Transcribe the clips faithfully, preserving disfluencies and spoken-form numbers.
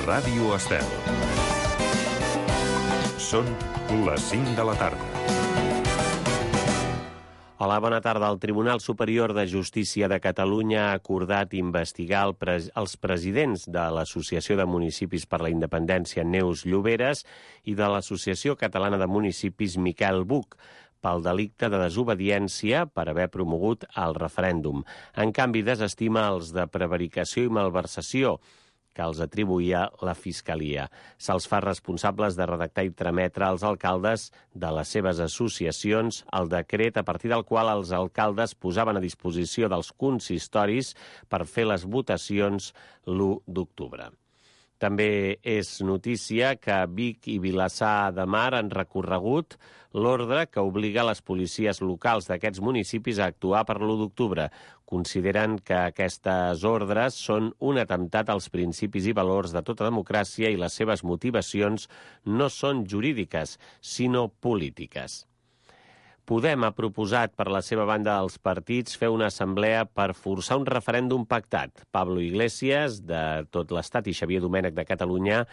Ràdio Estel. Són les cinc de la tarda. Hola, bona tarda. El Tribunal Superior de Justícia de Catalunya ha acordat investigar el pres els presidents de l'Associació de Municipis per la Independència, Neus Lloberes, i de l'Associació Catalana de Municipis, Miquel Buch, pel delicte de desobediència per haver promogut el referèndum. En canvi, desestima els de prevaricació i malversació, que els atribuïa la Fiscalia. Se'ls fa responsables de redactar i trametre als alcaldes de les seves associacions el decret a partir del qual els alcaldes posaven a disposició dels consistoris per fer les votacions l'u d'octubre. També és notícia que Vic i Vilassar de Mar han recorregut l'ordre que obliga les policies locals d'aquests municipis a actuar per l'u d'octubre. Consideren que aquestes ordres són un atemptat als principis i valors de tota democràcia i les seves motivacions no són jurídiques, sinó polítiques. Podem ha proposat per la seva banda als partits fer una assemblea per forçar un referèndum pactat. Pablo Iglesias, de Tot l'Estat, i Xavier Domènech, de Catalunya,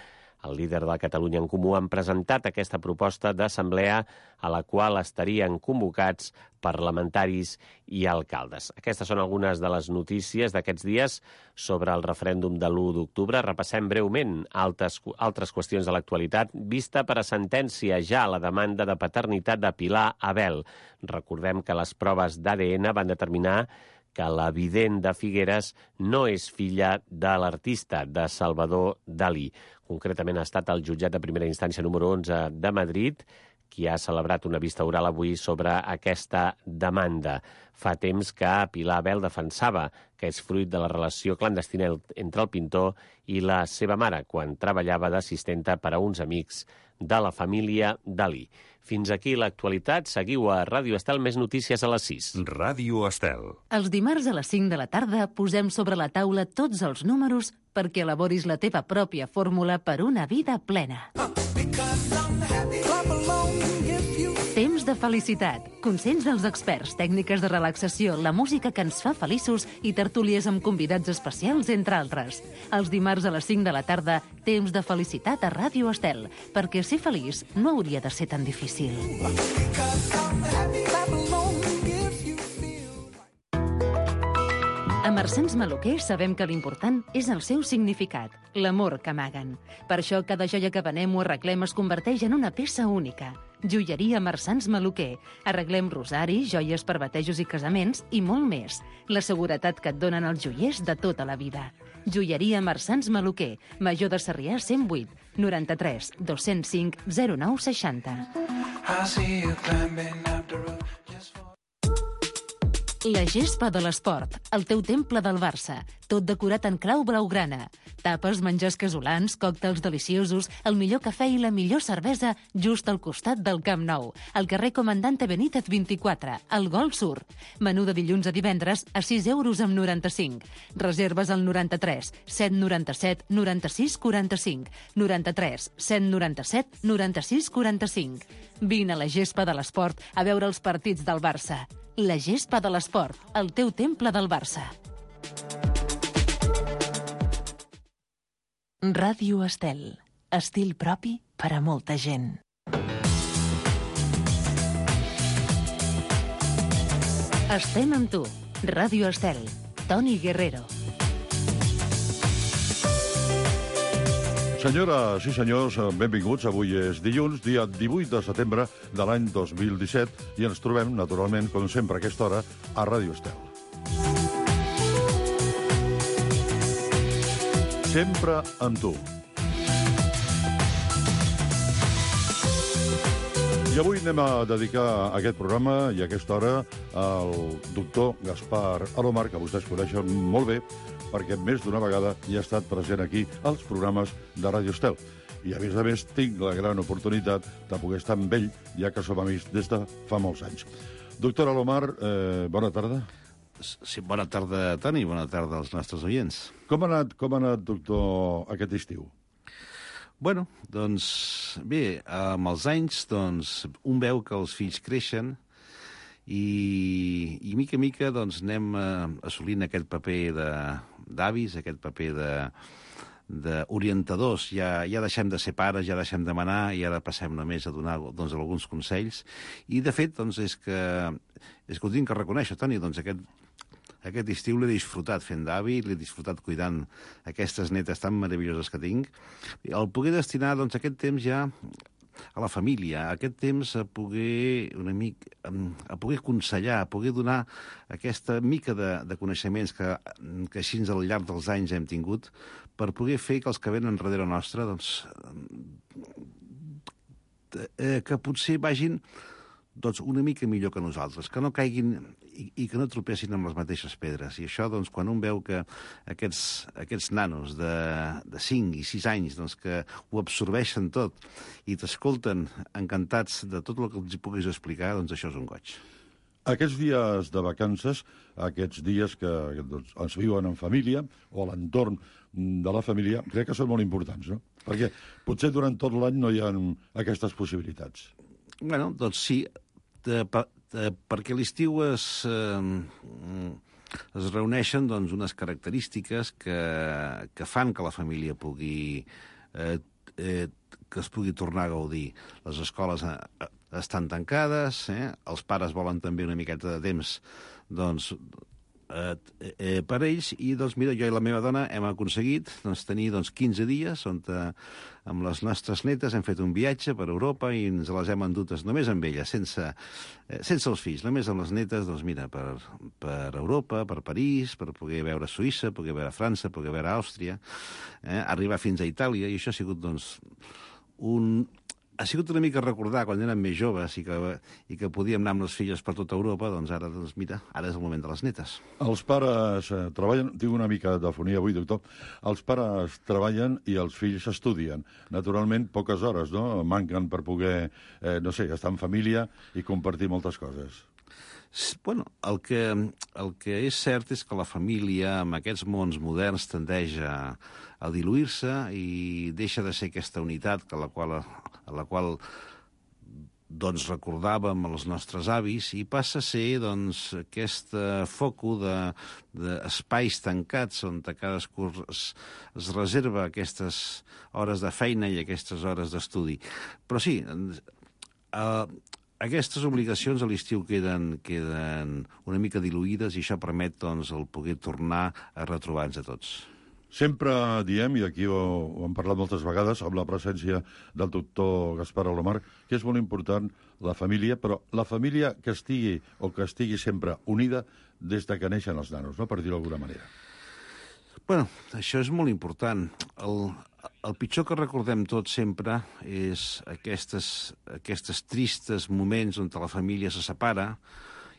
el líder de Catalunya en Comú, han presentat aquesta proposta d'assemblea a la qual estarien convocats parlamentaris i alcaldes. Aquestes són algunes de les notícies d'aquests dies sobre el referèndum de l'u d'octubre. Repassem breument altres, altres qüestions de l'actualitat. Vista per a sentència ja la demanda de paternitat de Pilar Abel. Recordem que les proves d'A D N van determinar que la vident de Figueres no és filla de l'artista, de Salvador Dalí. Concretament ha estat el jutjat de primera instància número onze de Madrid qui ha celebrat una vista oral avui sobre aquesta demanda. Fa temps que Pilar Abel defensava que és fruit de la relació clandestina entre el pintor i la seva mare, quan treballava d'assistenta per a uns amics de la família Dalí. Fins aquí l'actualitat. Seguiu a Ràdio Estel, més notícies a les sis. Ràdio Estel. Els dimarts a les cinc de la tarda posem sobre la taula tots els números perquè elaboris la teva pròpia fórmula per una vida plena. Temps de felicitat, consells dels experts, tècniques de relaxació, la música que ens fa feliços i tertúlies amb convidats especials, entre altres. Els dimarts a les cinc de la tarda, temps de felicitat a Ràdio Estel, perquè ser feliç no hauria de ser tan difícil. A Marsans Maluquer sabem que l'important és el seu significat, l'amor que amaguen. Per això cada joia que venem o arreglem es converteix en una peça única. Joieria Marsans Maluquer. Arreglem rosaris, joies per batejos i casaments i molt més. La seguretat que et donen els joiers de tota la vida. Joieria Marsans Maluquer. Major de Sarrià cent vuit, noranta-tres, dos-cents cinc, zero nou seixanta. La gespa de l'esport, el teu temple del Barça, tot decorat en clau blaugrana. Tapes, menjars casolans, còctels deliciosos, el millor cafè i la millor cervesa just al costat del Camp Nou, al carrer Comandante Benítez vint-i-quatre, al Gol Sur. Menú de dilluns a divendres a sis euros amb noranta-cinc. Reserves al noranta-tres, set noranta-set, noranta-sis quaranta-cinc, noranta-tres, set noranta-set, noranta-sis quaranta-cinc. Vine a la gespa de l'esport a veure els partits del Barça. La gespa de l'esport, el teu temple del Barça. Ràdio Estel. Estil propi per a molta gent. Estem amb tu. Ràdio Estel. Toni Guerrero. Senyores i senyors, benvinguts. Avui és dilluns, dia divuit de setembre de l'any dos mil disset, i ens trobem, naturalment, com sempre a aquesta hora, a Ràdio Estel. Sempre amb tu. I avui anem a dedicar aquest programa i aquesta hora al doctor Gaspar Alomar, que vostès coneixen molt bé, perquè més d'una vegada hi ha estat present aquí als programes de Ràdio Estel. I, a més a més, tinc la gran oportunitat de poder estar amb ell, ja que som amics des de fa molts anys. Doctor Alomar, eh, bona tarda. Sí, bona tarda, Toni, bona tarda als nostres oients. Com ha anat, com ha anat, doctor, aquest estiu? Bueno, doncs, bé, amb els anys, doncs, un veu que els fills creixen i, i mica a mica doncs, anem eh, assolint aquest paper de, d'avis, aquest paper de, d'orientadors, ja, ja deixem de ser pares, ja deixem de manar i ara passem només a donar doncs, alguns consells. I, de fet, doncs, és que, és que ho tinc que reconèixer, Toni, doncs aquest, aquest estiu l'he disfrutat fent d'avi, l'he disfrutat cuidant aquestes netes tan meravelloses que tinc. El poder destinar doncs, aquest temps ja a la família, aquest temps a poder una mica, a poder aconsellar, a poder donar aquesta mica de, de coneixements que, que així al llarg dels anys hem tingut, per poder fer que els que venen darrere nostre, doncs, eh, que potser vagin doncs, una mica millor que nosaltres, que no caiguin i, i que no tropessin amb les mateixes pedres. I això, doncs, quan un veu que aquests, aquests nanos de, de cinc i sis anys doncs, que ho absorbeixen tot i t'escolten encantats de tot el que els hi puguis explicar, doncs això és un goig. Aquests dies de vacances, aquests dies que doncs, es viuen en família o a l'entorn de la família, crec que són molt importants, no? Perquè potser durant tot l'any no hi ha aquestes possibilitats. Bueno, doncs sí, de, de, perquè a l'estiu es, eh, es reuneixen doncs, unes característiques que, que fan que la família pugui, eh, eh, que es pugui tornar a gaudir. Les escoles eh, estan tancades, eh? Els pares volen també una miqueta de temps doncs, eh, eh, per ells, i doncs mira, jo i la meva dona hem aconseguit doncs, tenir doncs, quinze dies on eh, amb les nostres netes hem fet un viatge per Europa i ens les hem endutes només amb elles, sense, eh, sense els fills, només amb les netes, doncs mira, per, per Europa, per París, per poder veure Suïssa, poder veure França, poder veure Àustria, eh, arribar fins a Itàlia, i això ha sigut doncs un... Ha sigut una mica recordar quan érem més joves i que, i que podíem anar amb les filles per tota Europa, doncs ara, doncs mira, ara és el moment de les netes. Els pares eh, treballen, tinc una mica d'afonia avui, doctor, els pares treballen i els fills estudien. Naturalment, poques hores, no?, manquen per poder, eh, no sé, estar en família i compartir moltes coses. Bueno, el que, el que és cert és que la família, amb aquests mons moderns, tendeix a, a diluir-se i deixa de ser aquesta unitat que la qual, a la qual doncs, recordàvem els nostres avis i passa a ser doncs, aquest foco d'espais de, tancats on cadascú es, es reserva aquestes hores de feina i aquestes hores d'estudi. Però sí, eh, aquestes obligacions a l'estiu queden, queden una mica diluïdes i això permet doncs, el poder tornar a retrobar-nos a tots. Sempre diem, i aquí ho, ho hem parlat moltes vegades, amb la presència del doctor Gaspar Alomar, que és molt important la família, però la família que estigui o que estigui sempre unida des de que neixen els nanos, no? Per dir-ho d'alguna manera. Bueno, això és molt important. El, el pitjor que recordem tots sempre és aquestes, aquestes tristes moments on la família se separa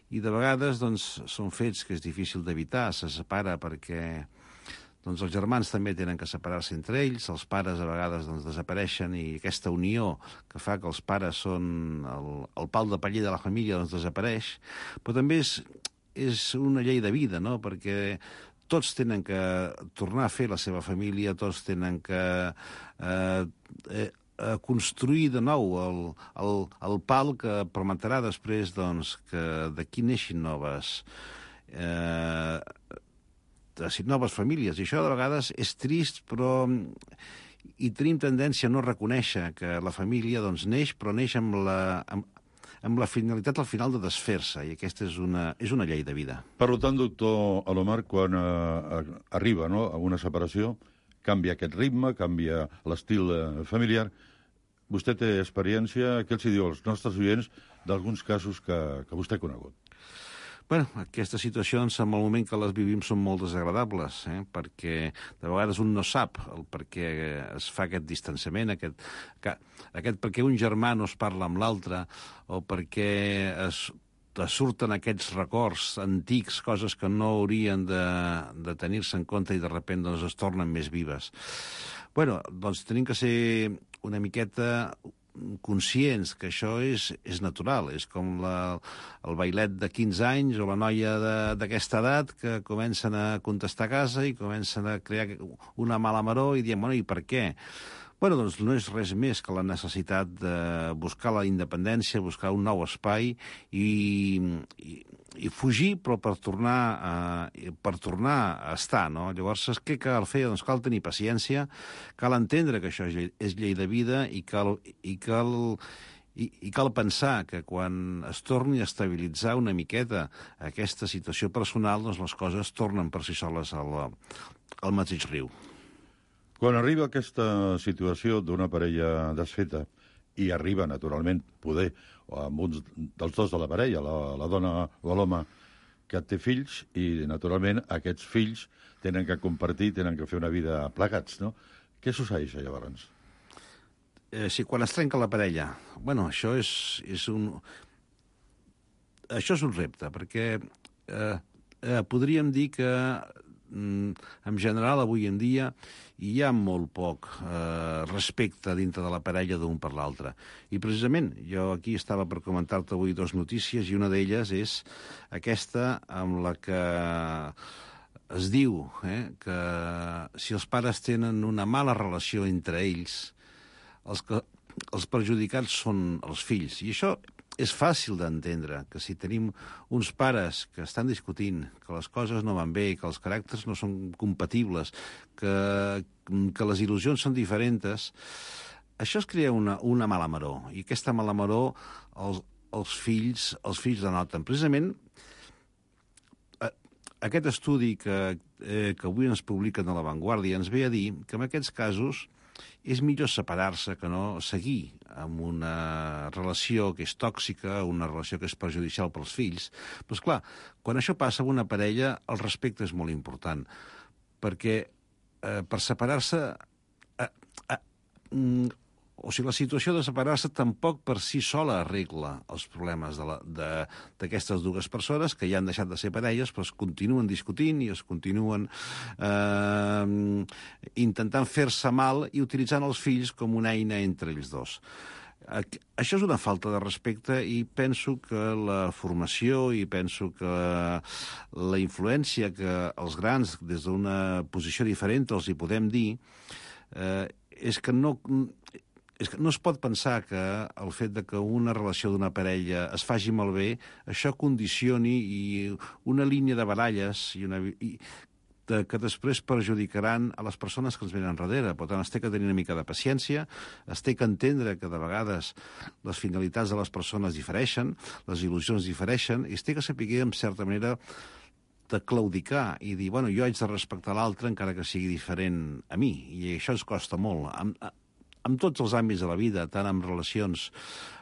i de vegades doncs, són fets que és difícil d'evitar. Se separa perquè doncs, els germans també tenen que separar-se entre ells, els pares a vegades doncs, desapareixen i aquesta unió que fa que els pares són el, el pal de paller de la família doncs, desapareix. Però també és, és una llei de vida, no?, perquè tots tenen que tornar a fer la seva família, tots tenen que eh, eh, construir de nou el, el, el pal que permetrà després doncs, que d'aquí neixin noves, eh, noves famílies. I això de vegades és trist, però i tenim tendència a no reconèixer que la família doncs, neix, però neix amb la... Amb, amb la finalitat al final de desfer-se, i aquesta és una, és una llei de vida. Per tant, doctor Alomar, quan eh, arriba no, a una separació, canvia aquest ritme, canvia l'estil eh, familiar. Vostè té experiència, què els diu als nostres oients d'alguns casos que, que vostè ha conegut? Bueno, aquestes situacions, en el moment que les vivim, són molt desagradables, eh? Perquè de vegades un no sap el per què es fa aquest distanciament, aquest, que, aquest perquè un germà no es parla amb l'altre, o perquè es, es surten aquests records antics, coses que no haurien de, de tenir-se en compte i de sobte doncs, es tornen més vives. Bueno, doncs tenim que ser una miqueta conscients que això és, és natural, és com la, el bailet de quinze anys o la noia d'aquesta edat que comencen a contestar a casa i comencen a crear una mala maror i diem, bueno, i per què? Bueno, doncs no és res més que la necessitat de buscar la independència, buscar un nou espai i, i, i fugir, però per tornar a, per tornar a estar, no? Llavors, què cal fer? Doncs cal tenir paciència, cal entendre que això és llei, és llei de vida i cal, i cal, i, i cal pensar que quan es torni a estabilitzar una miqueta aquesta situació personal, doncs les coses tornen per si soles al, al mateix riu. Quan arriba aquesta situació d'una parella desfeta, i arriba, naturalment, poder, amb uns dels dos de la parella, la, la dona o l'home, que té fills, i, naturalment, aquests fills tenen que compartir, tenen que fer una vida plegats, no? Què succeeix, llavors? Eh, si quan es trenca la parella... Bueno, això és, és un... Això és un repte, perquè eh, eh, podríem dir que en general, avui en dia, hi ha molt poc eh, respecte dintre de la parella d'un per l'altre. I precisament, jo aquí estava per comentar-te avui dues notícies, i una d'elles és aquesta amb la que es diu eh, que si els pares tenen una mala relació entre ells, els, que, els perjudicats són els fills. I això és fàcil d'entendre, que si tenim uns pares que estan discutint, que les coses no van bé, que els caràcters no són compatibles, que, que les il·lusions són diferents, això es crea una, una mala maror, i aquesta mala maror els, els fills els fills la noten. Precisament, aquest estudi que, eh, que avui ens publiquen a La Vanguardia ens ve a dir que en aquests casos és millor separar-se que no seguir amb una relació que és tòxica, una relació que és perjudicial pels fills. Però, esclar, quan això passa amb una parella, el respecte és molt important, perquè eh, per separar-se... Eh, eh, o sigui, la situació de separar-se tampoc per si sola arregla els problemes d'aquestes dues persones que ja han deixat de ser parelles, però es continuen discutint i es continuen eh, intentant fer-se mal i utilitzant els fills com una eina entre ells dos. Això és una falta de respecte, i penso que la formació i penso que la influència que els grans, des d'una posició diferent, els hi podem dir, eh, és que no... És que no es pot pensar que el fet de que una relació d'una parella es faci malbé, això condicioni i una línia de baralles i una, i, de, que després perjudicaran a les persones que ens venen darrere. Per tant, es té que tenir una mica de paciència, es té que entendre que de vegades les finalitats de les persones difereixen, les il·lusions difereixen, i es té que saber, en certa manera, de claudicar i dir, bueno, jo haig de respectar l'altre encara que sigui diferent a mi, i això ens costa molt. Amb, en tots els àmbits de la vida, tant amb relacions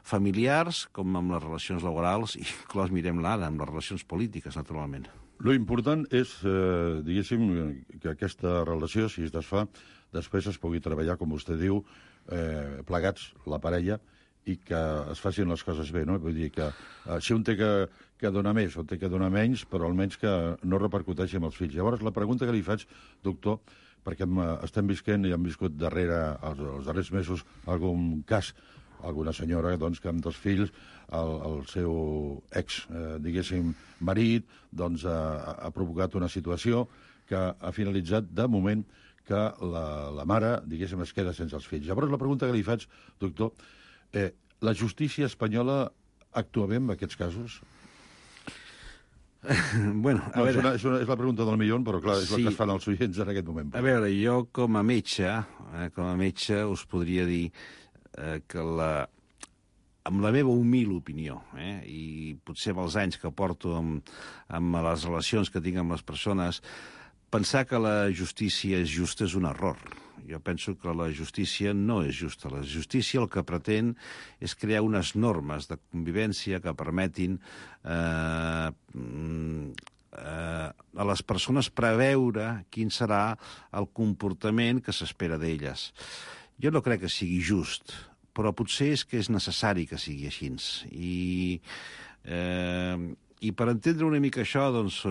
familiars com amb les relacions laborals, i inclús mirem l'ara, amb les relacions polítiques, naturalment. Lo important és, eh, diguéssim, que aquesta relació, si es desfà, després es pugui treballar, com vostè diu, eh, plegats, la parella, i que es facin les coses bé, no? Vull dir que eh, si un té que, que donar més o té que donar menys, però almenys que no repercuteixi amb els fills. Llavors, la pregunta que li faig, doctor, perquè estem visquent i hem viscut darrere, els, els darrers mesos, algun cas, alguna senyora doncs, que amb dos fills, el, el seu ex, eh, diguéssim, marit, doncs, ha, ha provocat una situació que ha finalitzat, de moment, que la, la mare, diguéssim, es queda sense els fills. Llavors, la pregunta que li faig, doctor, eh, la justícia espanyola actua bé en aquests casos? Bueno, a no, veure... és, una, és, una, és la pregunta del milió, però clar, és sí. El que es fan els oients en aquest moment. A veure, jo com a metge, eh, com a metge us podria dir eh, que la, amb la meva humil opinió, eh, i potser amb els anys que porto amb, amb les relacions que tinc amb les persones, pensar que la justícia és justa és un error. Jo penso que la justícia no és justa. La justícia el que pretén és crear unes normes de convivència que permetin eh, eh, a les persones preveure quin serà el comportament que s'espera d'elles. Jo no crec que sigui just, però potser és que és necessari que sigui així. I, eh, i per entendre una mica això, doncs,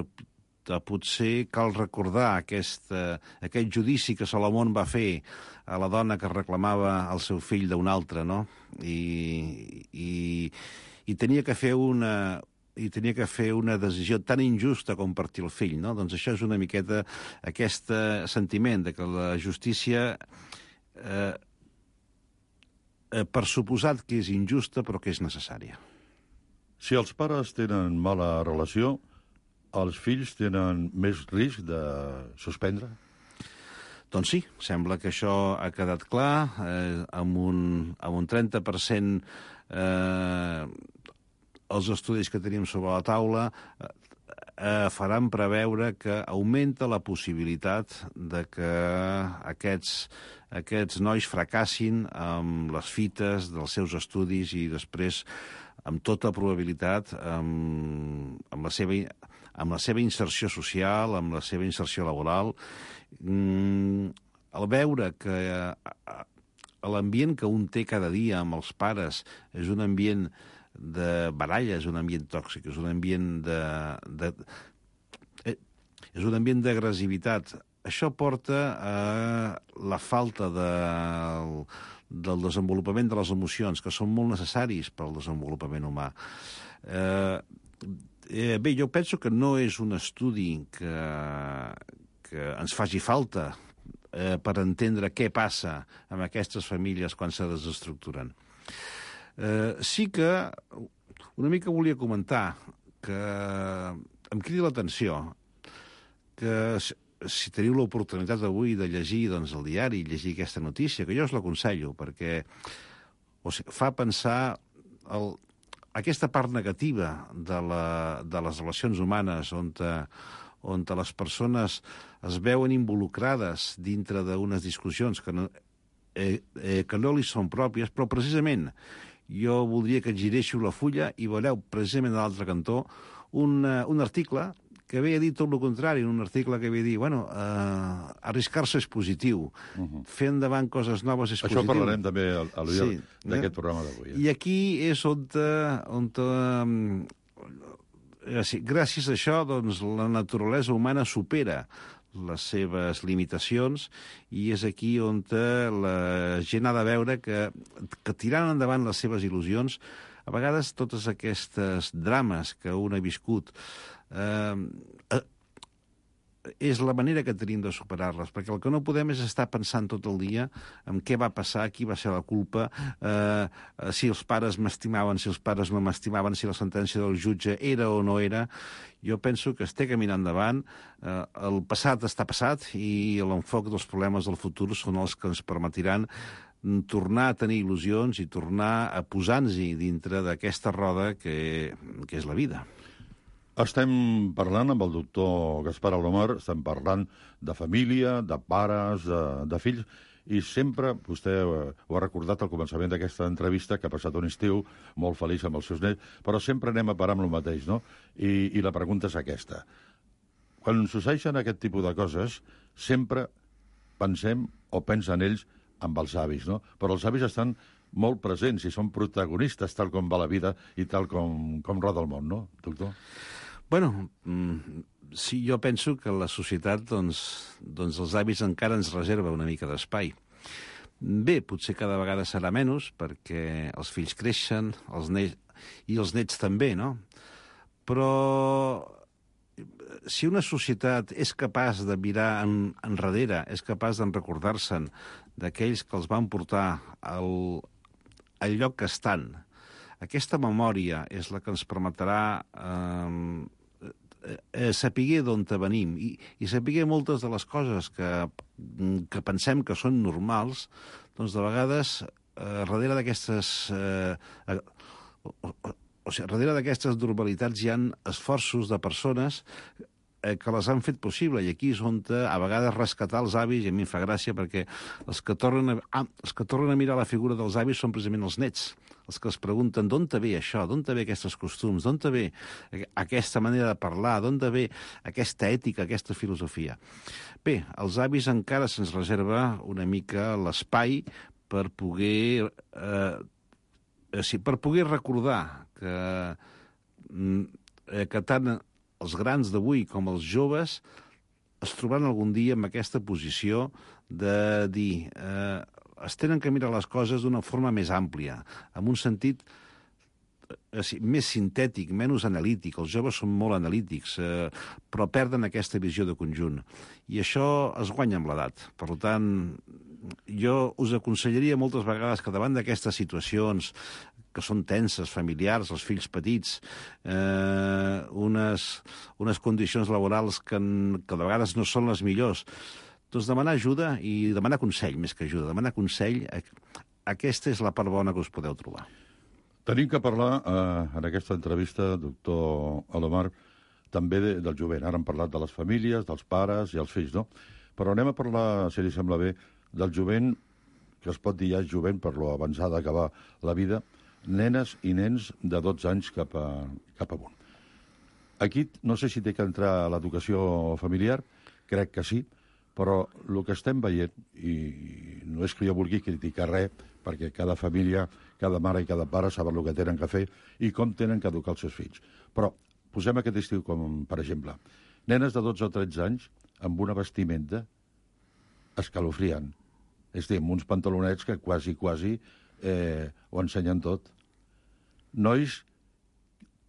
potser cal recordar aquest, eh, aquest judici que Salomón va fer a la dona que reclamava el seu fill d'un altre, no? I, i, i tenia que fer una, i tenia que fer una decisió tan injusta com partir el fill, no? Doncs això és una miqueta aquest sentiment de que la justícia, eh, eh, per suposat que és injusta, però que és necessària. Si els pares tenen mala relació, els fills tenen més risc de suspendre? Doncs sí, sembla que això ha quedat clar, eh, amb, un, amb un trenta per cent eh, els estudis que tenim sobre la taula eh, eh, faran preveure que augmenta la possibilitat de que aquests, aquests nois fracassin amb les fites dels seus estudis i després, amb tota probabilitat, amb, amb, la seva, amb la seva inserció social, amb la seva inserció laboral. Mm, al veure que eh, l'ambient que un té cada dia amb els pares és un ambient de baralla, és un ambient tòxic, és un ambient de... de eh, és un ambient d'agressivitat. Això porta a la falta de... del desenvolupament de les emocions, que són molt necessaris per al desenvolupament humà. Eh, eh, bé, jo penso que no és un estudi que, que ens faci falta eh, per entendre què passa amb aquestes famílies quan se desestructuren. Eh, sí que una mica volia comentar que em crida l'atenció que si teniu l'oportunitat avui de llegir doncs, el diari i llegir aquesta notícia, que jo us l'aconsello, perquè o sigui, fa pensar el, aquesta part negativa de, la, de les relacions humanes on, te, on te les persones es veuen involucrades dintre d'unes discussions que no, eh, eh, que no li són pròpies, però precisament jo voldria que giréssiu la fulla i veureu precisament a l'altre cantó un, uh, un article que havia dit tot el contrari, en un article que havia dit, bueno, uh, arriscar-se és positiu, uh -huh. fer endavant coses noves és Això positiu. Això parlarem també a, a l'ull sí, d'aquest eh? programa d'avui. Eh? I aquí és on, on um, gràcies a això doncs, la naturalesa humana supera les seves limitacions i és aquí on la gent ha de veure que, que tirant endavant les seves il·lusions, a vegades totes aquestes drames que un ha viscut eh, eh, és la manera que tenim de superar-les, perquè el que no podem és estar pensant tot el dia en què va passar, qui va ser la culpa, eh, si els pares m'estimaven, si els pares no m'estimaven, si la sentència del jutge era o no era. Jo penso que es té caminant endavant, eh, el passat està passat i l'enfoc dels problemes del futur són els que ens permetiran tornar a tenir il·lusions i tornar a posar-nos-hi dintre d'aquesta roda que, que és la vida. Estem parlant amb el doctor Gaspar Alomar, estem parlant de família, de pares, de, de fills, i sempre, vostè ho ha recordat al començament d'aquesta entrevista, que ha passat un estiu molt feliç amb els seus nets, però sempre anem a parar amb el mateix, no? I, i la pregunta és aquesta. Quan succeeixen aquest tipus de coses, sempre pensem o pensen ells amb els avis, no? Però els avis estan molt presents i són protagonistes tal com va la vida i tal com, com roda el món, no, doctor? Bueno, sí, jo penso que la societat, doncs, doncs els avis encara ens reserva una mica d'espai. Bé, potser cada vegada serà menys, perquè els fills creixen, els nets, i els nets també, no? Però si una societat és capaç de mirar en, enrere, és capaç de recordar-se'n d'aquells que els van portar al, al lloc que estan, aquesta memòria és la que ens permetrà eh, eh, saber d'on venim i, i saber moltes de les coses que, que pensem que són normals, doncs de vegades eh, darrere d'aquestes eh, eh, o, o, o sigui, darrere d'aquestes normalitats hi ha esforços de persones eh, que les han fet possible, i aquí és on a vegades rescatar els avis, i a mi em fa gràcia perquè els que tornen a, ah, els que tornen a mirar la figura dels avis són precisament els nets, els que es pregunten d'on te ve això, d'on te ve aquests costums, d'on te ve aquesta manera de parlar, d'on te ve aquesta ètica, aquesta filosofia. Bé, als avis encara se'ns reserva una mica l'espai per poder, eh, sí, per poder recordar que, eh, que tant els grans d'avui com els joves es trobaran algun dia en aquesta posició de dir eh, es tenen que mirar les coses d'una forma més àmplia, amb un sentit eh, més sintètic, menys analític. Els joves són molt analítics, eh, però perden aquesta visió de conjunt. I això es guanya amb l'edat. Per tant, jo us aconsellaria moltes vegades que davant d'aquestes situacions que són tenses, familiars, els fills petits, eh, unes, unes condicions laborals que, que de vegades no són les millors. Doncs demanar ajuda i demanar consell, més que ajuda. Demanar consell, aquesta és la part bona que us podeu trobar. Tenim que parlar, eh, en aquesta entrevista, doctor Alomar, també de, del jovent. Ara hem parlat de les famílies, dels pares i els fills, no? Però anem a parlar, si li sembla bé, del jovent, que es pot dir ja jovent per lo avançada d'acabar la vida, nenes i nens de dotze anys cap, a, cap amunt. Aquí no sé si té que entrar a l'educació familiar, crec que sí, però el que estem veient, i no és que jo vulgui criticar res, perquè cada família, cada mare i cada pare saben el que tenen que fer i com tenen que educar els seus fills. Però posem aquest estiu com, per exemple, nenes de dotze o tretze anys amb una vestimenta escalofriant. És a dir, amb uns pantalonets que quasi, quasi eh, ho ensenyen tot. Nois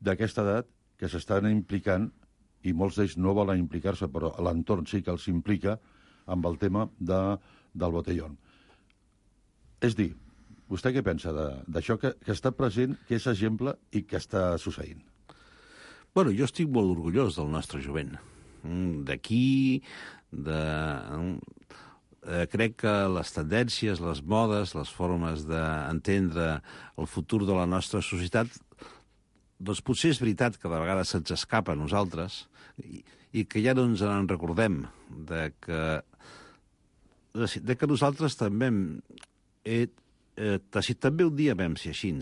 d'aquesta edat que s'estan implicant, i molts d'ells no volen implicar-se, però l'entorn sí que els implica amb el tema de, del botellón. És dir, vostè què pensa d'això que, que està present, que és exemple i que està succeint? Bueno, jo estic molt orgullós del nostre jovent. D'aquí, de... Eh, crec que les tendències, les modes, les formes d'entendre el futur de la nostra societat, doncs potser és veritat que de vegades se'ns escapa a nosaltres i, i que ja no ens en recordem de que, de que nosaltres també hem, eh, eh, també un dia vam ser així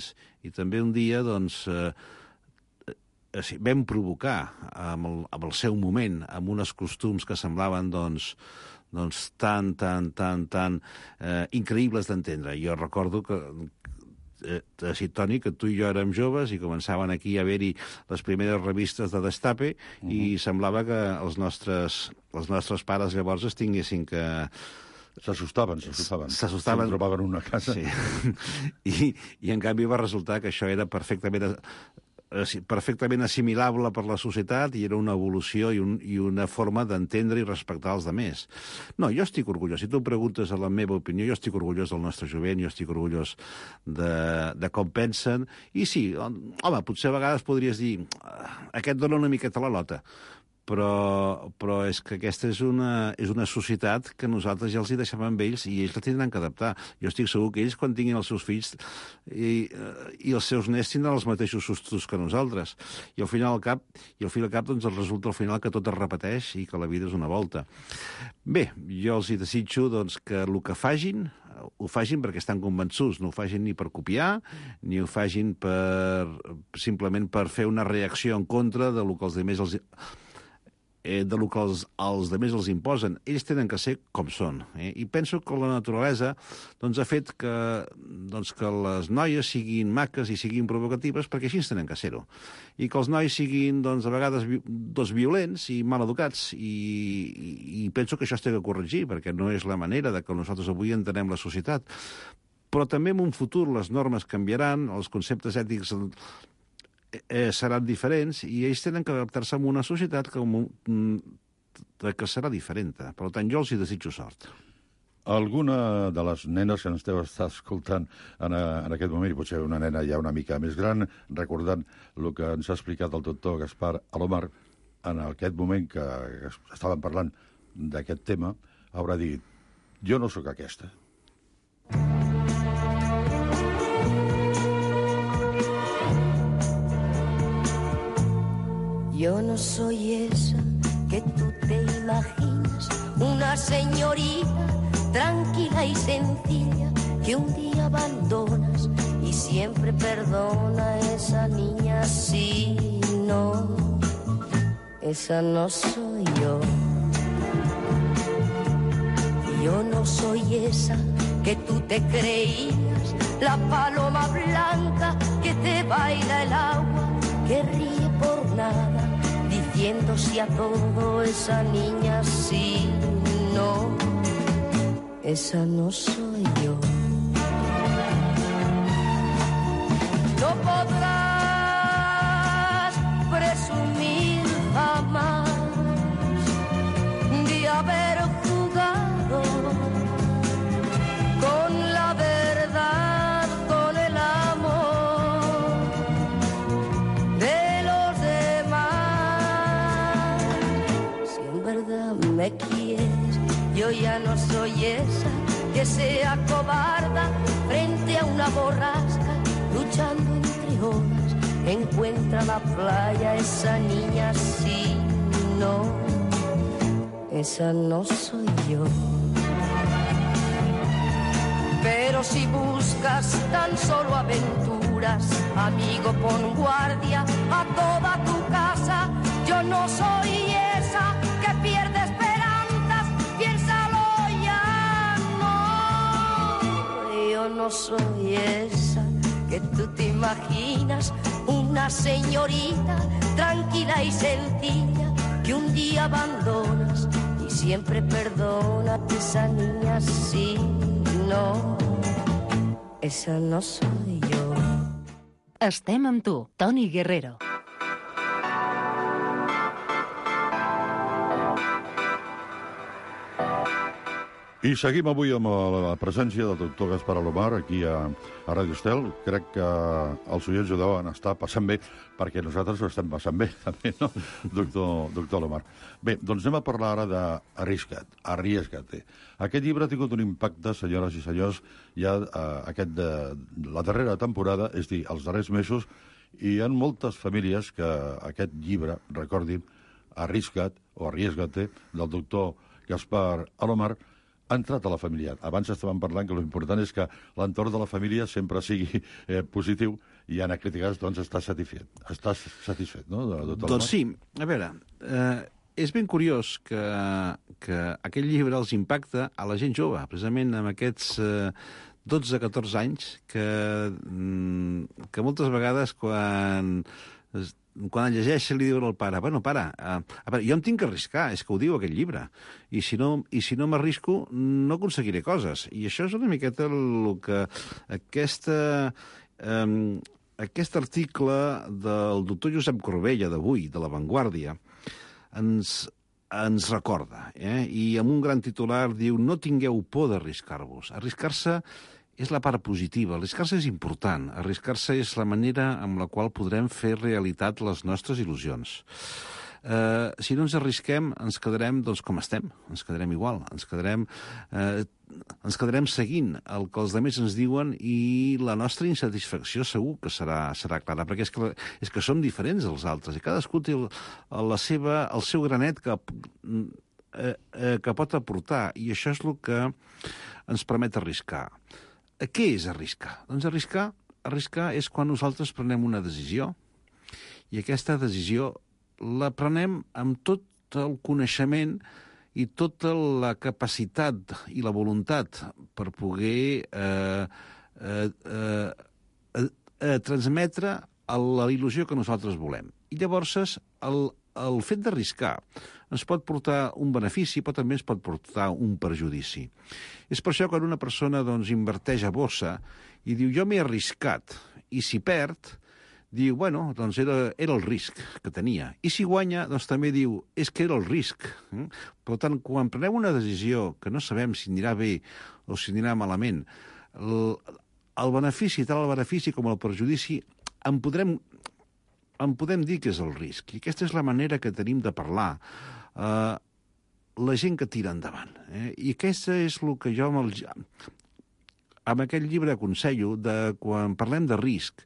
i també un dia doncs eh, vam provocar amb el, amb el seu moment, amb uns costums que semblaven doncs doncs tan, tan, tan, tan eh, increïbles d'entendre. Jo recordo que, eh, sí, Toni, que tu i jo érem joves i començaven aquí a haver-hi les primeres revistes de Destape uh-huh. i semblava que els nostres, els nostres pares llavors es tinguessin que... S'assustaven, s'assustaven. S'assustaven. Se'n trobaven una casa. Sí. I, I en canvi va resultar que això era perfectament... perfectament assimilable per la societat i era una evolució i, un, i una forma d'entendre i respectar els altres. No, jo estic orgullós. Si tu em preguntes a la meva opinió, jo estic orgullós del nostre jovent, jo estic orgullós de, de com pensen. I sí, home, potser a vegades podries dir aquest dona una miqueta la lota, però, però és que aquesta és una, és una societat que nosaltres ja els hi deixem amb ells i ells la tindran que adaptar. Jo estic segur que ells, quan tinguin els seus fills i, i els seus nets, tindran els mateixos sustos que nosaltres. I al final al cap, i al final al cap doncs resulta al final que tot es repeteix i que la vida és una volta. Bé, jo els hi desitjo doncs, que el que fagin ho fagin perquè estan convençuts, no ho fagin ni per copiar, ni ho fagin per, simplement per fer una reacció en contra de lo que els altres els eh, de lo que els, els altres els imposen. Ells tenen que ser com són. Eh? I penso que la naturalesa doncs, ha fet que, doncs, que les noies siguin maques i siguin provocatives perquè així tenen que ser-ho. I que els nois siguin, doncs, a vegades doncs, violents i mal educats. I, i, I penso que això es té que corregir, perquè no és la manera de que nosaltres avui entenem la societat. Però també en un futur les normes canviaran, els conceptes ètics eh, seran diferents i ells tenen que adaptar-se a una societat que, que serà diferent. Per tant, jo els hi desitjo sort. Alguna de les nenes que ens deu estar escoltant en, en aquest moment, i potser una nena ja una mica més gran, recordant el que ens ha explicat el doctor Gaspar Alomar, en aquest moment que estàvem parlant d'aquest tema, haurà dit, jo no sóc aquesta. Yo no soy esa que tú te imaginas, una señorita tranquila y sencilla que un día abandonas y siempre perdona a esa niña. Sí, no, esa no soy yo. Yo no soy esa que tú te creías, la paloma blanca que te baila el agua, que ríe por nada, diciendo sí a todo. Esa niña sí, no, esa no soy yo. No podrás presumir jamás de haber jugado con la verdad, con el amor, que se acobarda frente a una borrasca, luchando entre olas, encuentra la playa. Esa niña sí, no, esa no soy yo. Pero si buscas tan solo aventuras, amigo, pon guardia a toda tu casa. Yo no soy esa que pierde esperanzas, piénsalo ya, no. Yo no soy esa que tú te imaginas, una señorita tranquila y sencilla que un día abandonas y siempre perdona. Esa niña sí, no, esa no soy yo. Estem amb tu, Toni Guerrero. I seguim avui amb la presència del doctor Gaspar Alomar aquí a, a Ràdio Estel. Crec que els oients ho deuen estar passant bé, perquè nosaltres ho estem passant bé, també, no, doctor, doctor Alomar? Bé, doncs anem a parlar ara d'Arrisca't, Arriesgate. Aquest llibre ha tingut un impacte, senyores i senyors, ja eh, aquest de, la darrera temporada, és dir, els darrers mesos, i hi ha moltes famílies que aquest llibre, recordin, Arrisca't o Arriesgate, del doctor Gaspar Alomar, ha entrat a la família. Abans estàvem parlant que l'important és que l'entorn de la família sempre sigui eh, positiu i en aquest cas doncs estàs satisfet. Estàs satisfet, no, doctor? Doncs sí. A veure, eh, és ben curiós que, que aquest llibre els impacta a la gent jove, precisament amb aquests eh, dotze a catorze anys que, que moltes vegades quan... quan llegeix li diuen al pare, bueno, pare, uh, a veure, jo em tinc que arriscar, és que ho diu aquest llibre, i si no, i si no m'arrisco no aconseguiré coses. I això és una miqueta el que aquesta, um, aquest article del doctor Josep Corbella d'avui, de La Vanguardia, ens, ens recorda, eh? I amb un gran titular diu: no tingueu por d'arriscar-vos. Arriscar-se és la part positiva. Arriscar-se és important. Arriscar-se és la manera amb la qual podrem fer realitat les nostres il·lusions. Eh, si no ens arrisquem, ens quedarem doncs, com estem. Ens quedarem igual. Ens quedarem, eh, ens quedarem seguint el que els altres ens diuen i la nostra insatisfacció segur que serà, serà clara, perquè és que, és que som diferents dels altres i cadascú té el, la seva, el seu granet que, eh, eh, que pot aportar, i això és el que ens permet arriscar. Què és arriscar? Doncs arriscar, arriscar és quan nosaltres prenem una decisió i aquesta decisió la prenem amb tot el coneixement i tota la capacitat i la voluntat per poder eh, eh, eh, eh, transmetre la il·lusió que nosaltres volem. I llavors el, el fet d'arriscar ens pot portar un benefici, però també ens pot portar un perjudici. És per això que quan una persona doncs, inverteix a borsa i diu jo m'he arriscat, i si perd, diu, bueno, doncs era, era el risc que tenia. I si guanya, doncs també diu, és que era el risc. Per tant, quan prenem una decisió que no sabem si anirà bé o si anirà malament, el, el benefici, tant el benefici com el perjudici, en podrem, en podem dir que és el risc. I aquesta és la manera que tenim de parlar. Uh, la gent que tira endavant. Eh? I aquesta és el que jo amb, el, amb aquest llibre aconsello, de quan parlem de risc,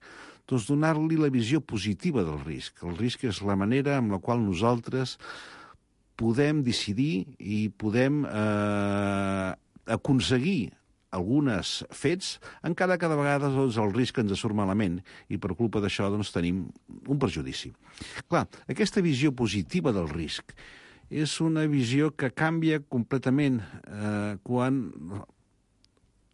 doncs donar-li la visió positiva del risc. El risc és la manera amb la qual nosaltres podem decidir i podem eh, aconseguir algunes fets, encara que de vegades doncs, el risc ens surt malament i per culpa d'això doncs, tenim un perjudici. Clar, aquesta visió positiva del risc és una visió que canvia completament eh, quan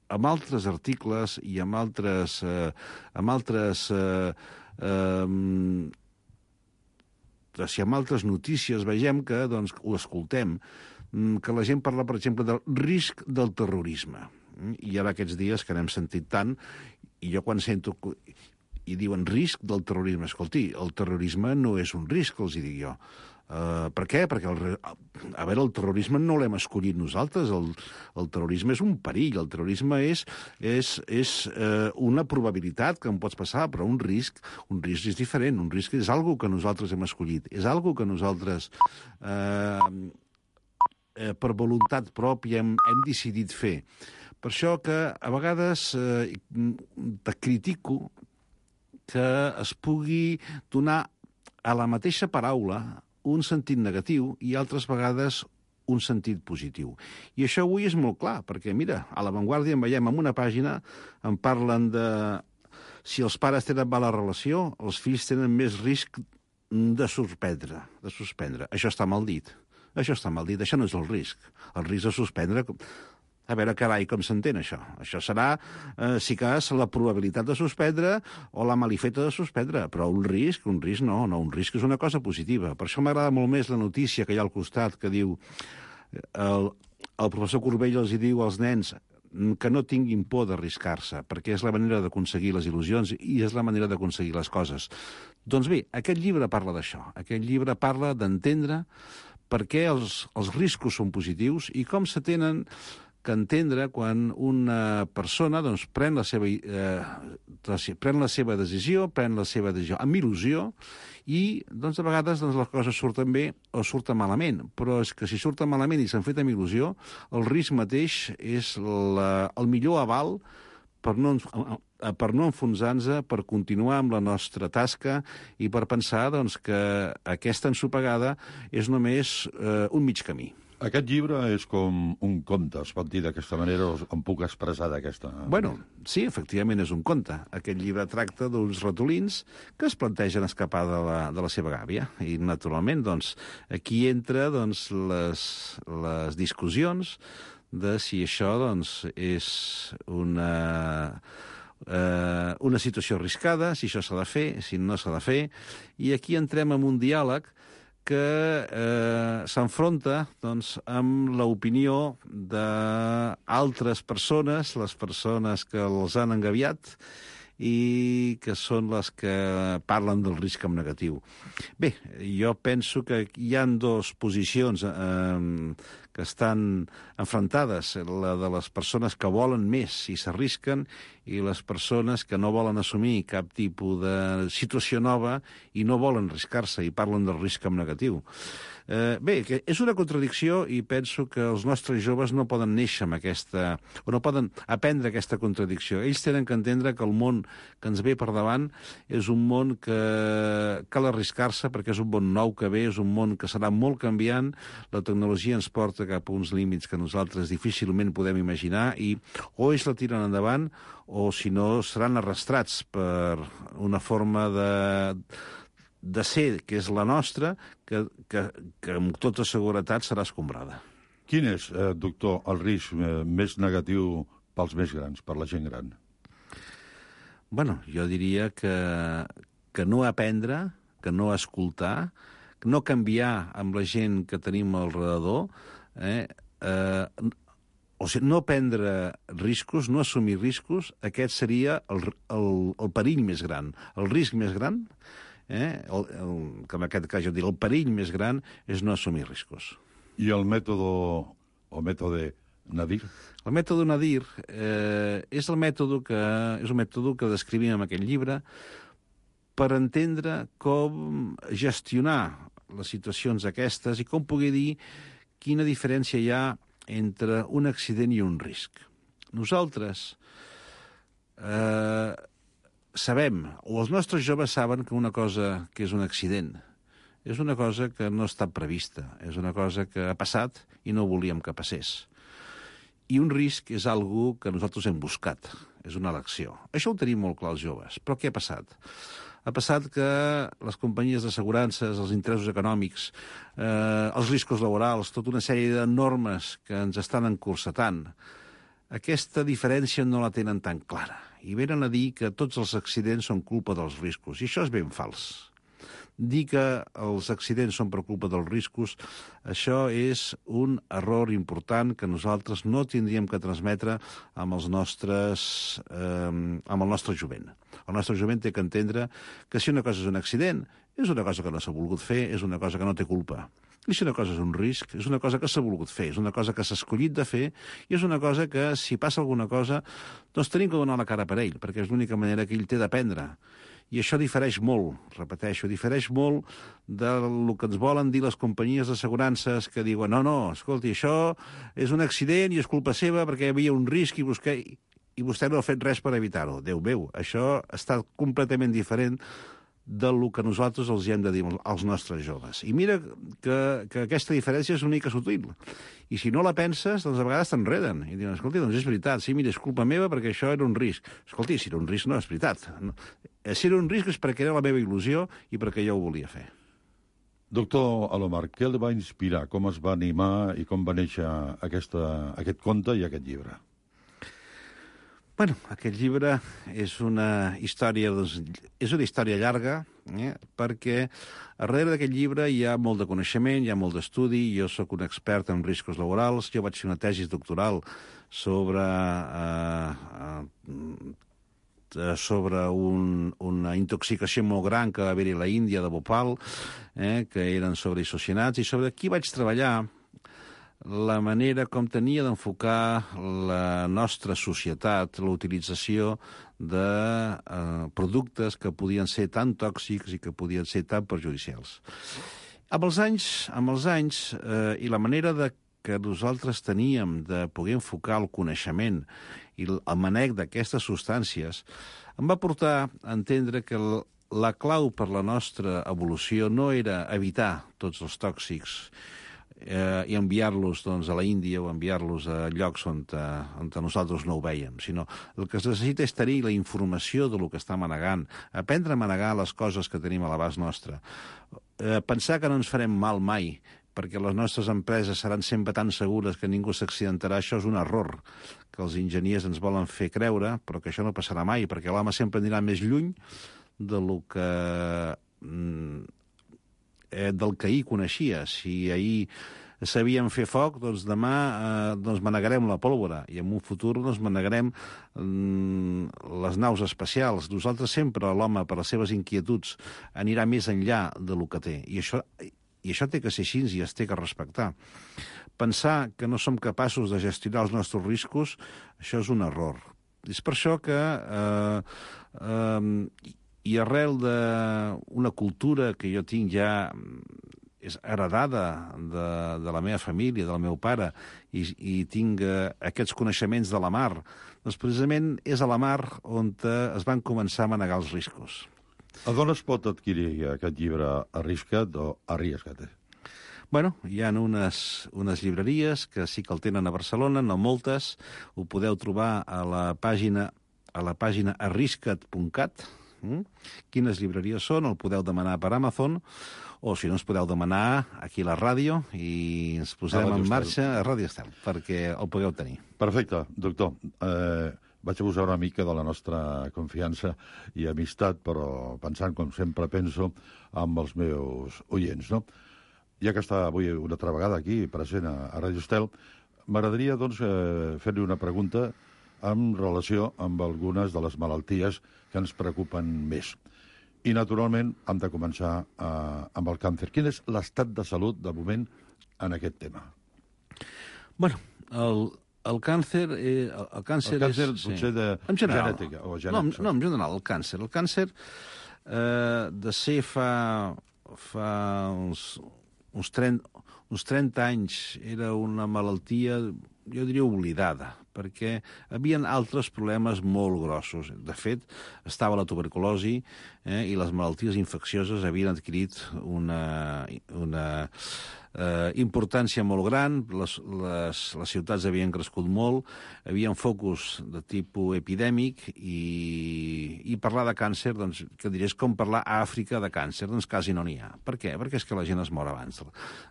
amb altres articles i amb altres, eh, amb altres, eh, eh, si amb altres notícies veiem que, doncs, ho escoltem, que la gent parla, per exemple, del risc del terrorisme. I ara aquests dies que n'hem sentit tant, i jo quan sento i diuen risc del terrorisme, escolti, el terrorisme no és un risc, els hi dic jo. Uh, per què? Perquè el, a veure, el terrorisme no l'hem escollit nosaltres, el, el terrorisme és un perill, el terrorisme és, és, és uh, una probabilitat que em pots passar, però un risc, un risc és diferent, un risc és algo que nosaltres hem escollit, és algo que nosaltres uh, uh, per voluntat pròpia hem, hem decidit fer. Per això que a vegades eh, te critico que es pugui donar a la mateixa paraula un sentit negatiu i altres vegades un sentit positiu. I això avui és molt clar, perquè, mira, a La Vanguardia en veiem en una pàgina, en parlen de si els pares tenen mala relació, els fills tenen més risc de suspendre, de suspendre. Això està mal dit. Això està mal dit. Això no és el risc. El risc de suspendre... A veure, carai, com s'entén això? Això serà, eh, si cas, la probabilitat de suspendre o la malifeta de suspendre. Però un risc, un risc no, no, un risc és una cosa positiva. Per això m'agrada molt més la notícia que hi ha al costat, que diu el, el professor Corbell els hi diu als nens que no tinguin por d'arriscar-se, perquè és la manera d'aconseguir les il·lusions i és la manera d'aconseguir les coses. Doncs bé, aquest llibre parla d'això. Aquest llibre parla d'entendre per què els, els riscos són positius i com se tenen que entendre quan una persona doncs, pren, la seva, eh, pren la seva decisió, pren la seva decisió amb il·lusió i doncs, a vegades doncs, les coses surten bé o surten malament. Però és que si surten malament i s'han fet amb il·lusió, el risc mateix és la, el millor aval per no, per no enfonsar-nos, per continuar amb la nostra tasca i per pensar doncs, que aquesta ensopegada és només eh, un mig camí. Aquest llibre és com un conte, es pot dir d'aquesta manera, o em puc expressar d'aquesta manera? Bueno, sí, efectivament és un conte. Aquest llibre tracta d'uns ratolins que es plantegen escapar de la, de la seva gàbia. I, naturalment, doncs, aquí entra doncs, les, les discussions de si això doncs, és una, eh, una situació arriscada, si això s'ha de fer, si no s'ha de fer. I aquí entrem en un diàleg que eh, s'enfronta doncs, amb l'opinió d'altres persones, les persones que els han engabiat i que són les que parlen del risc en negatiu. Bé, jo penso que hi ha dues posicions eh, que estan enfrontades, la de les persones que volen més i s'arrisquen i les persones que no volen assumir cap tipus de situació nova i no volen arriscar-se i parlen del risc en negatiu. Eh, bé, que és una contradicció i penso que els nostres joves no poden néixer amb aquesta... o no poden aprendre aquesta contradicció. Ells tenen que entendre que el món que ens ve per davant és un món que cal arriscar-se perquè és un món nou que ve, és un món que serà molt canviant, la tecnologia ens porta cap a uns límits que nosaltres difícilment podem imaginar i o ells la tiren endavant o, si no, seran arrastrats per una forma de... de ser, que és la nostra, que, que, que amb tota seguretat serà escombrada. Quin és, eh, doctor, el risc eh, més negatiu pels més grans, per la gent gran? Bueno, jo diria que, que no aprendre, que no escoltar, que no canviar amb la gent que tenim al redador, eh, eh, o sigui, no prendre riscos, no assumir riscos, aquest seria el, el, el perill més gran. El risc més gran, eh, el, el, que en aquest cas jo diria, el perill més gran és no assumir riscos. I el mètode, o mètode Nadir? El mètode Nadir eh, és el mètode que és un mètode que descrivim en aquest llibre per entendre com gestionar les situacions aquestes i com poder dir quina diferència hi ha entre un accident i un risc. Nosaltres eh, sabem, o els nostres joves saben que una cosa que és un accident és una cosa que no està prevista, és una cosa que ha passat i no volíem que passés. I un risc és algo que nosaltres hem buscat, és una elecció. Això ho tenim molt clar els joves. Però què ha passat? Ha passat que les companyies d'assegurances, els interessos econòmics, eh, els riscos laborals, tota una sèrie de normes que ens estan encursetant, aquesta diferència no la tenen tan clara. I venen a dir que tots els accidents són culpa dels riscos. I això és ben fals. Dir que els accidents són per culpa dels riscos, això és un error important que nosaltres no tindríem que transmetre amb, els nostres, eh, amb el nostre jovent. El nostre jovent té que entendre que si una cosa és un accident, és una cosa que no s'ha volgut fer, és una cosa que no té culpa. I si una cosa és un risc, és una cosa que s'ha volgut fer, és una cosa que s'ha escollit de fer i és una cosa que, si passa alguna cosa, doncs tenim que donar la cara per ell, perquè és l'única manera que ell té d'aprendre. I això difereix molt, repeteixo, difereix molt del que ens volen dir les companyies d'assegurances que diuen no, no, escolti, això és un accident i és culpa seva perquè hi havia un risc i vostè, i vostè no ha fet res per evitar-ho. Déu meu, això està completament diferent del que nosaltres els hem de dir als nostres joves. I mira que, que aquesta diferència és una mica sutil. I si no la penses, doncs a vegades t'enreden. I diuen, escolti, doncs és veritat, sí, mira, és culpa meva perquè això era un risc. Escolti, si era un risc no és veritat. Si era un risc és perquè era la meva il·lusió i perquè jo ho volia fer. Doctor Alomar, què el va inspirar? Com es va animar i com va néixer aquesta, aquest conte i aquest llibre? Bueno, aquest llibre és una història, doncs, és una història llarga, eh? perquè darrere d'aquest llibre hi ha molt de coneixement, hi ha molt d'estudi, jo sóc un expert en riscos laborals, jo vaig fer una tesi doctoral sobre, eh, eh, sobre un, una intoxicació molt gran que va haver-hi a la Índia de Bhopal, eh? que eren sobre isocianats, i sobre aquí vaig treballar la manera com tenia d'enfocar la nostra societat, la utilització de eh, productes que podien ser tan tòxics i que podien ser tan perjudicials. Amb els anys, amb els anys eh, i la manera de que nosaltres teníem de poder enfocar el coneixement i el manec d'aquestes substàncies, em va portar a entendre que el, la clau per la nostra evolució no era evitar tots els tòxics eh, i enviar-los doncs, a la Índia o enviar-los a llocs on, eh, on nosaltres no ho veiem, sinó el que es necessita és tenir la informació de lo que està manegant, aprendre a manegar les coses que tenim a l'abast nostre, eh, pensar que no ens farem mal mai, perquè les nostres empreses seran sempre tan segures que ningú s'accidentarà, això és un error que els enginyers ens volen fer creure, però que això no passarà mai, perquè l'home sempre anirà més lluny de lo que... Mm, Eh, del que ahir coneixia. Si ahir sabíem fer foc, doncs demà eh, doncs manegarem la pólvora i en un futur doncs manegarem mm, les naus espacials. Nosaltres sempre, l'home, per les seves inquietuds, anirà més enllà de lo que té. I això, i això té que ser així i es té que respectar. Pensar que no som capaços de gestionar els nostres riscos, això és un error. És per això que... Eh, eh, I arrel d'una cultura que jo tinc ja és heredada de, de la meva família, del meu pare, i, i tinc eh, aquests coneixements de la mar, doncs precisament és a la mar on es van començar a manegar els riscos. A d'on es pot adquirir aquest llibre Arrisca't o Arriesga't? Bueno, hi ha unes, unes llibreries que sí que el tenen a Barcelona, no moltes, ho podeu trobar a la pàgina, a la pàgina arrisca't punt cat. Mm? Quines llibreries són, el podeu demanar per Amazon, o si no ens podeu demanar aquí a la ràdio i ens posarem en marxa a Ràdio Estel, perquè el podeu tenir. Perfecte, doctor. Eh, vaig abusar una mica de la nostra confiança i amistat, però pensant, com sempre penso, amb els meus oients, no? Ja que està avui una altra vegada aquí, present a, a Ràdio Estel, m'agradaria, doncs, eh, fer-li una pregunta en relació amb algunes de les malalties que ens preocupen més. I, naturalment, hem de començar eh, amb el càncer. Quin és l'estat de salut, de moment, en aquest tema? Bueno, el, el càncer... Eh, el càncer, el càncer és, potser sí. de en general, genètica. O genètica. No, no, en general, el càncer. El càncer, eh, de ser fa, fa uns, uns, trenta, uns trenta anys, era una malaltia, jo diria, oblidada, perquè hi havia altres problemes molt grossos. De fet, estava la tuberculosi eh, i les malalties infeccioses havien adquirit una, una eh, importància molt gran, les, les, les ciutats havien crescut molt, hi havia focus de tipus epidèmic i, i parlar de càncer, doncs, que diré, és com parlar a Àfrica de càncer, doncs quasi no n'hi ha. Per què? Perquè és que la gent es mor abans.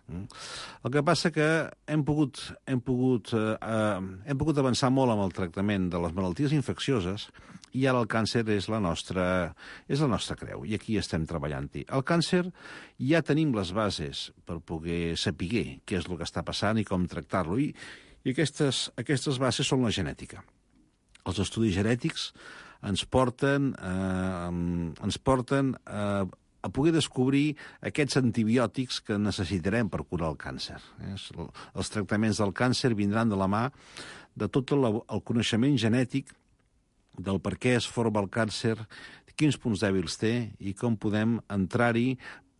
El que passa que hem pogut, hem pogut, eh, hem pogut avançar molt amb el tractament de les malalties infeccioses i ara el càncer és la nostra, és la nostra creu, i aquí estem treballant-hi. El càncer ja tenim les bases per poder saber què és el que està passant i com tractar-lo, i, i aquestes, aquestes bases són la genètica. Els estudis genètics ens porten, eh, ens porten eh, a poder descobrir aquests antibiòtics que necessitarem per curar el càncer. Els tractaments del càncer vindran de la mà de tot el, el coneixement genètic del per què es forma el càncer, quins punts dèbils té i com podem entrar-hi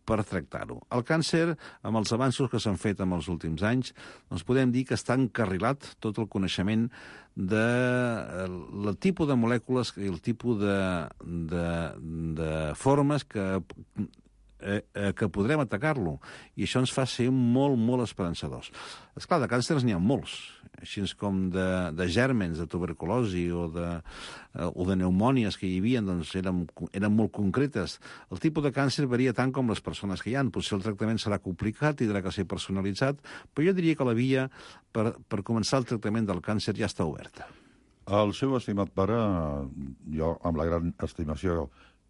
per tractar-ho. El càncer, amb els avanços que s'han fet en els últims anys, doncs podem dir que està encarrilat tot el coneixement de el tipus de molècules i el tipus de, de, de formes que, eh, que podrem atacar-lo. I això ens fa ser molt, molt esperançadors. Esclar, de càncers n'hi ha molts, així com de, de gèrmens, de tuberculosi o de, o de pneumònies que hi havia, doncs eren, eren molt concretes. El tipus de càncer varia tant com les persones que hi ha. Potser el tractament serà complicat, tindrà que ser personalitzat, però jo diria que la via per, per començar el tractament del càncer ja està oberta. El seu estimat pare, jo amb la gran estimació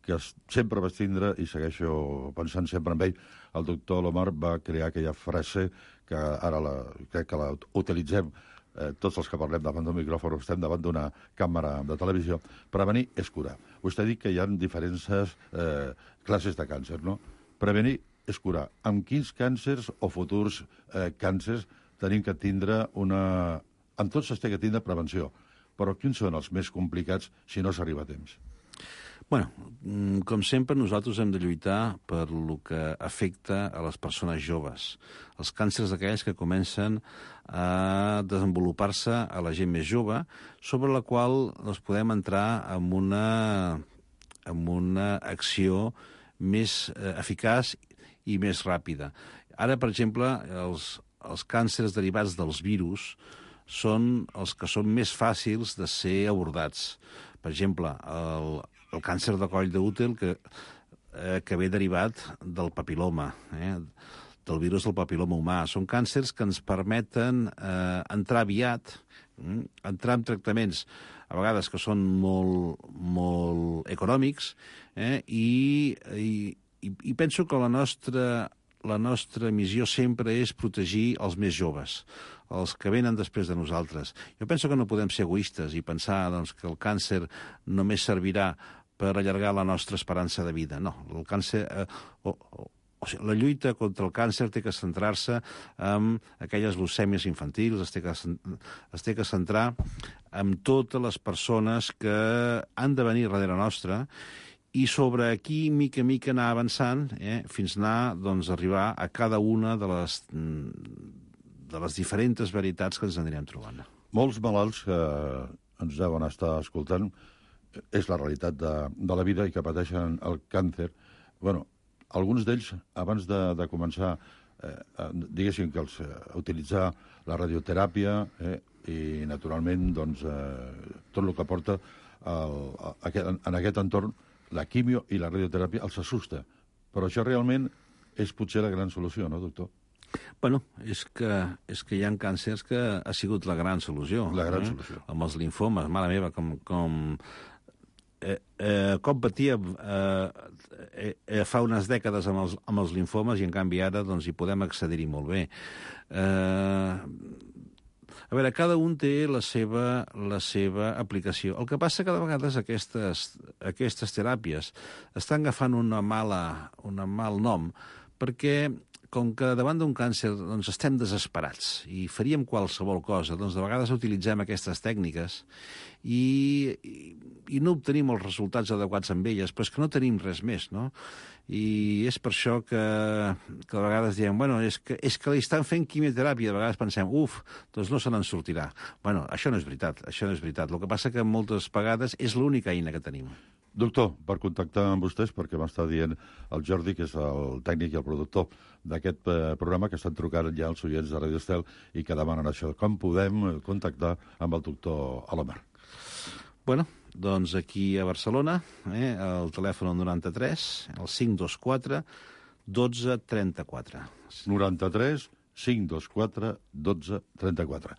que sempre vaig tindre i segueixo pensant sempre en ell, el doctor Alomar va crear aquella frase que ara la, crec que la utilitzem eh, tots els que parlem davant d'un micròfon, estem davant d'una càmera de televisió. Prevenir és curar. Vostè ha dit que hi ha diferents eh, classes de càncer, no? Prevenir és curar. Amb quins càncers o futurs eh, càncers tenim que tindre una... Amb tots es té que tindre prevenció, però quins són els més complicats si no s'arriba a temps? Bueno, com sempre, nosaltres hem de lluitar per el que afecta a les persones joves. Els càncers d'aquells que comencen a desenvolupar-se a la gent més jove, sobre la qual doncs, podem entrar en una, en una acció més eh, eficaç i més ràpida. Ara, per exemple, els, els càncers derivats dels virus són els que són més fàcils de ser abordats. Per exemple, el, el càncer de coll d'úter que, eh, que ve derivat del papiloma, eh, del virus del papiloma humà. Són càncers que ens permeten eh, entrar aviat, eh, entrar en tractaments a vegades que són molt, molt econòmics, eh, i, i, i penso que la nostra, la nostra missió sempre és protegir els més joves, els que venen després de nosaltres. Jo penso que no podem ser egoistes i pensar doncs, que el càncer només servirà per allargar la nostra esperança de vida. No, el càncer... Eh, o, o, o sigui, la lluita contra el càncer té que centrar-se en aquelles leucèmies infantils, es té que, es té que centrar en totes les persones que han de venir darrere nostra i sobre aquí, mica a mica, anar avançant eh, fins anar doncs, arribar a cada una de les... de les diferents veritats que ens anirem trobant. Molts malalts que ens deuen estar escoltant, és la realitat de, de la vida i que pateixen el càncer. Bueno, alguns d'ells, abans de, de començar, eh, diguéssim que els, eh, utilitzar la radioteràpia eh, i, naturalment, doncs, eh, tot el que porta el, a, en aquest entorn, la quimio i la radioteràpia els assusta. Però això realment és potser la gran solució, no, doctor? Bueno, és que, és que hi ha càncers que ha sigut la gran solució. La gran eh? solució. Amb els linfomes, mare meva, com... com eh, eh, com patíem eh, eh, fa unes dècades amb els, amb els linfomes i, en canvi, ara doncs, hi podem accedir-hi molt bé. Eh, a veure, cada un té la seva, la seva aplicació. El que passa que de vegades aquestes, aquestes teràpies estan agafant una mala, una mal nom perquè com que davant d'un càncer doncs, estem desesperats i faríem qualsevol cosa, doncs de vegades utilitzem aquestes tècniques i, i, i no obtenim els resultats adequats amb elles, però és que no tenim res més, no? I és per això que, que de vegades diem, bueno, és que, és que li estan fent quimioteràpia, de vegades pensem, uf, doncs no se n'en sortirà. Bueno, això no és veritat, això no és veritat. El que passa que moltes vegades és l'única eina que tenim. Doctor, per contactar amb vostès, perquè m'està dient el Jordi, que és el tècnic i el productor d'aquest eh, programa, que estan trucant ja els oients de Radio Estel i que demanen això. Com podem contactar amb el doctor Alomar? Bueno, doncs aquí a Barcelona, eh, el telèfon noranta-tres, el cinc dos quatre, dotze trenta-quatre. noranta-tres, cinc dos quatre, dotze trenta-quatre.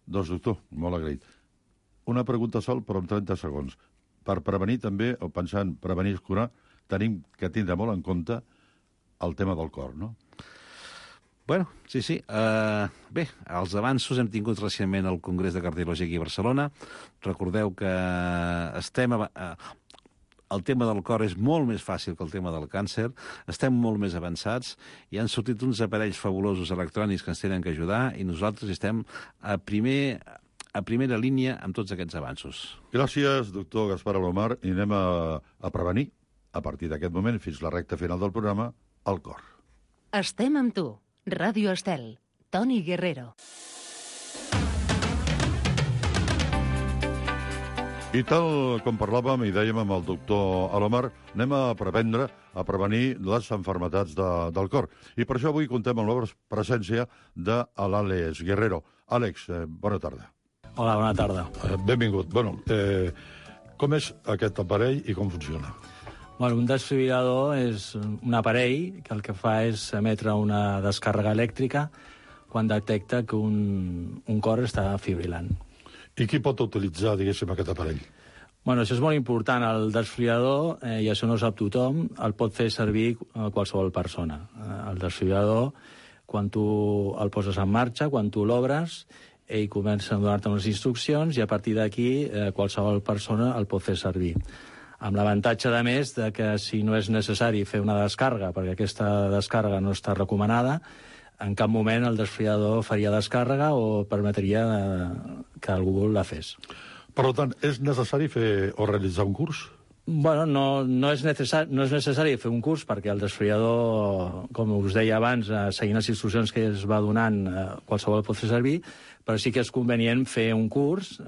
Doncs, doctor, molt agraït. Una pregunta sol, però en trenta segons. Per prevenir també, o pensant prevenir és curar, tenim que tindre molt en compte el tema del cor, no? Bueno, sí, sí. Uh, bé, els avanços hem tingut recentment al Congrés de Cardiologia aquí a Barcelona. Recordeu que estem... A, uh, el tema del cor és molt més fàcil que el tema del càncer. Estem molt més avançats i han sortit uns aparells fabulosos electrònics que ens tenen que ajudar i nosaltres estem a primer... a primera línia amb tots aquests avanços. Gràcies, doctor Gaspar Alomar, i anem a, a prevenir, a partir d'aquest moment, fins la recta final del programa, el cor. Estem amb tu. Ràdio Estel. Toni Guerrero. I tal com parlàvem i dèiem amb el doctor Alomar, anem a prevendre, a prevenir les malalties de, del cor. I per això avui contem amb la presència de l'Àlex Guerrero. Àlex, eh, bona tarda. Hola, bona tarda. Eh, benvingut. Bueno, eh, com és aquest aparell i com funciona? Bueno, un desfibrilador és un aparell que el que fa és emetre una descàrrega elèctrica quan detecta que un, un cor està fibrilant. I qui pot utilitzar, diguéssim, aquest aparell? Bueno, això és molt important. El desfibrilador, eh, i això no ho sap tothom, el pot fer servir qualsevol persona. Eh, el desfibrilador, quan tu el poses en marxa, quan tu l'obres, ell comença a donar-te unes instruccions i a partir d'aquí eh, qualsevol persona el pot fer servir. Amb l'avantatge, a més, de que si no és necessari fer una descàrrega, perquè aquesta descàrrega no està recomanada, en cap moment el desfibrilador faria descàrrega o permetria que algú la fes. Per tant, és necessari fer o realitzar un curs? Bueno, no, no, és necessari, no és necessari fer un curs perquè el desfibrilador, com us deia abans, seguint les instruccions que es va donant, qualsevol pot fer servir, però sí que és convenient fer un curs.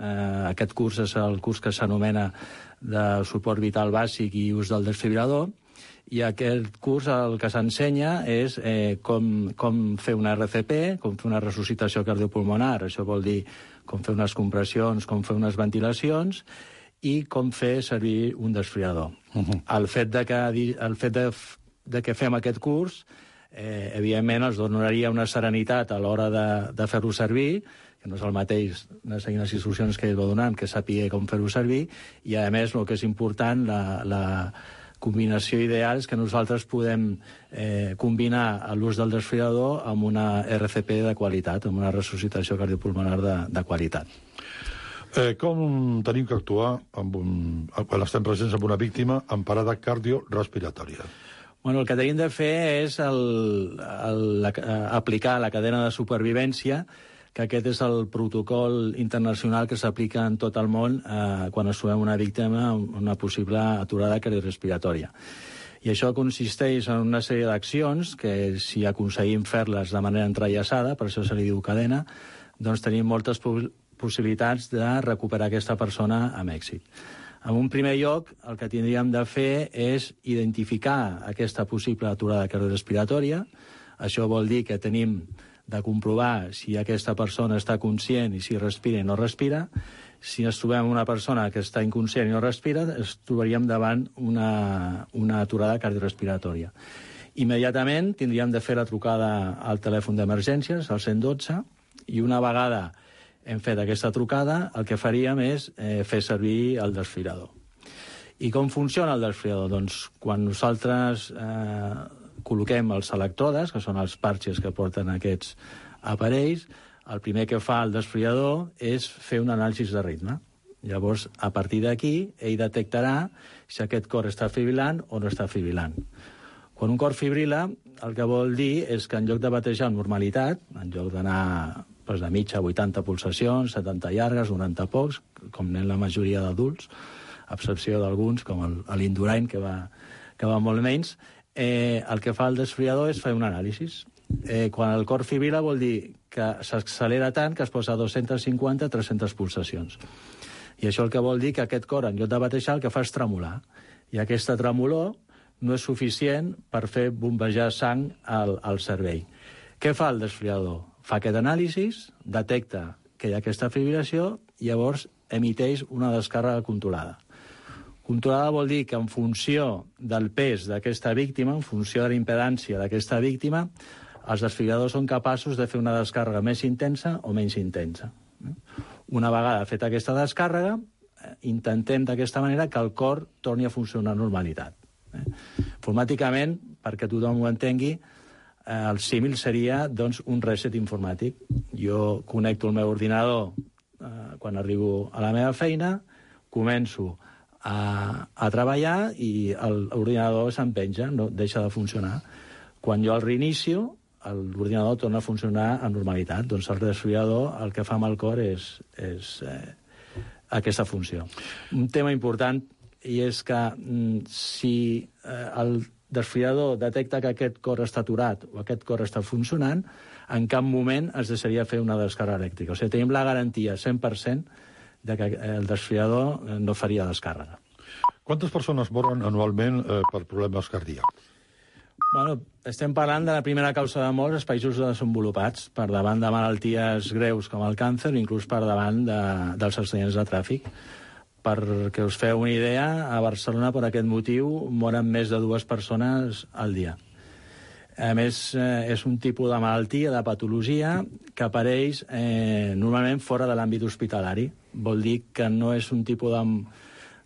Aquest curs és el curs que s'anomena de suport vital bàsic i ús del desfibrilador, i aquest curs el que s'ensenya és eh, com, com fer una R C P, com fer una resuscitació cardiopulmonar, això vol dir com fer unes compressions, com fer unes ventilacions, i com fer servir un desfibrilador. Uh-huh. El fet de que, el fet de, de que fem aquest curs, eh, evidentment, ens donaria una serenitat a l'hora de, de fer-lo servir, que no és el mateix seguint les instruccions que ell va donant, que sàpiga com fer-ho servir, i a més, el que és important, la... la combinació ideal és que nosaltres podem eh, combinar l'ús del desfibrilador amb una R C P de qualitat, amb una resuscitació cardiopulmonar de, de qualitat. Eh, com tenim que actuar amb un, quan estem presents amb una víctima amb parada cardiorespiratòria? Bueno, el que tenim de fer és el, el, la, aplicar la cadena de supervivència, que aquest és el protocol internacional que s'aplica en tot el món eh, quan es trobem una víctima amb una possible aturada cardiorrespiratòria. I això consisteix en una sèrie d'accions que, si aconseguim fer-les de manera entrellaçada, per això se li diu cadena, doncs tenim moltes possibilitats de recuperar aquesta persona amb èxit. En un primer lloc, el que tindríem de fer és identificar aquesta possible aturada cardiorrespiratòria. Això vol dir que tenim de comprovar si aquesta persona està conscient i si respira i no respira. Si ens trobem una persona que està inconscient i no respira, ens trobaríem davant una, una aturada cardiorrespiratòria. Immediatament tindríem de fer la trucada al telèfon d'emergències, al cent i dotze, i una vegada hem fet aquesta trucada, el que faríem és eh, fer servir el desfibrilador. I com funciona el desfibrilador? Doncs quan nosaltres eh, col·loquem els electrodes, que són els parxes que porten aquests aparells, el primer que fa el desfibrilador és fer un anàlisi de ritme. Llavors, a partir d'aquí, ell detectarà si aquest cor està fibrilant o no està fibrilant. Quan un cor fibrila, el que vol dir és que en lloc de batejar amb normalitat, en lloc d'anar doncs, de mitja a vuitanta pulsacions, setanta llargues, noranta pocs, com anem la majoria d'adults, a excepció d'alguns, com l'Indurain, que, va, que va molt menys, Eh, el que fa el desfibrilador és fer un anàlisi. Eh, quan el cor fibrila vol dir que s'accelera tant que es posa a dos-centes cinquanta a tres-centes pulsacions. I això el que vol dir que aquest cor, en lloc de batejar, el que fa és tremolar. I aquesta tremolor no és suficient per fer bombejar sang al, al cervell. Què fa el desfibrilador? Fa aquest anàlisi, detecta que hi ha aquesta fibrilació i llavors emiteix una descàrrega controlada. Controlada vol dir que en funció del pes d'aquesta víctima, en funció de la impedància d'aquesta víctima, els desfibriladors són capaços de fer una descàrrega més intensa o menys intensa. Una vegada feta aquesta descàrrega, intentem d'aquesta manera que el cor torni a funcionar amb normalitat. Informàticament, perquè tothom ho entengui, el símil seria doncs, un reset informàtic. Jo connecto el meu ordinador eh, quan arribo a la meva feina, començo A, a treballar i l'ordinador s'empenja, no deixa de funcionar. Quan jo el reinicio, l'ordinador torna a funcionar amb normalitat. Doncs el desfibrilador el que fa amb el cor és, és eh, aquesta funció. Un tema important, i és que mm, si eh, el desfibrilador detecta que aquest cor està aturat o aquest cor està funcionant, en cap moment es deixaria fer una descàrrega elèctrica. O sigui, tenim la garantia cent per cent de que el desfibrilador no faria descàrrega. Quantes persones moren anualment eh, per problemes cardíacs? Bueno, estem parlant de la primera causa de mort als països desenvolupats, per davant de malalties greus com el càncer, inclús per davant de, dels accidents de tràfic. Perquè us feu una idea, a Barcelona, per aquest motiu, moren més de dues persones al dia. A més, eh, és un tipus de malaltia, de patologia, que apareix eh, normalment fora de l'àmbit hospitalari. Vol dir que no és un tipus de,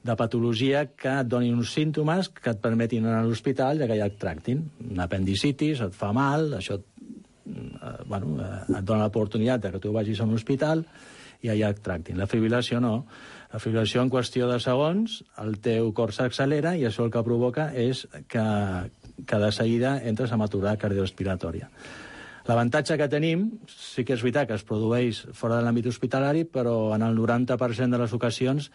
de patologia que et doni uns símptomes que et permetin anar a l'hospital i que ja et tractin. Una apendicitis, et fa mal, això eh, bueno, eh, et dona l'oportunitat de que tu vagis a un hospital i allà et tractin. La fibrilació no. La fibrilació, en qüestió de segons, el teu cor s'accelera i això el que provoca és que, que de seguida entres en aturada cardiorespiratòria. L'avantatge que tenim, sí que és veritat que es produeix fora de l'àmbit hospitalari, però en el noranta per cent de les ocasions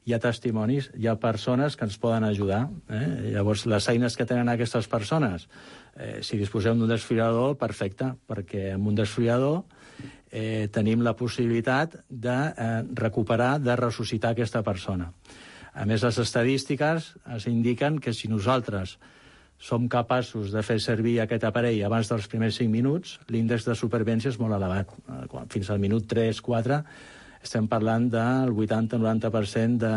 hi ha testimonis, hi ha persones que ens poden ajudar. Eh? Llavors, les eines que tenen aquestes persones, eh, si disposem d'un desfibrilador, perfecte, perquè amb un desfibrilador eh, tenim la possibilitat de eh, recuperar, de ressuscitar aquesta persona. A més, les estadístiques ens indiquen que si nosaltres som capaços de fer servir aquest aparell abans dels primers cinc minuts, l'índex de supervivència és molt elevat. Fins al minut tres quatre estem parlant del vuitanta a noranta per cent de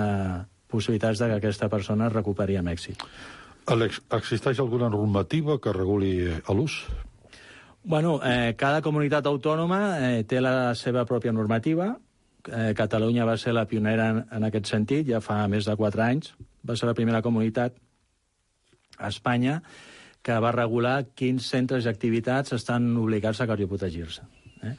possibilitats de que aquesta persona es recuperi amb èxit. Àlex, existeix alguna normativa que reguli l'ús? Bueno, eh, cada comunitat autònoma eh, té la seva pròpia normativa. Eh, Catalunya va ser la pionera en, en aquest sentit, ja fa més de quatre anys. Va ser la primera comunitat a Espanya que va regular quins centres i activitats estan obligats a cardioprotegir-se. Eh?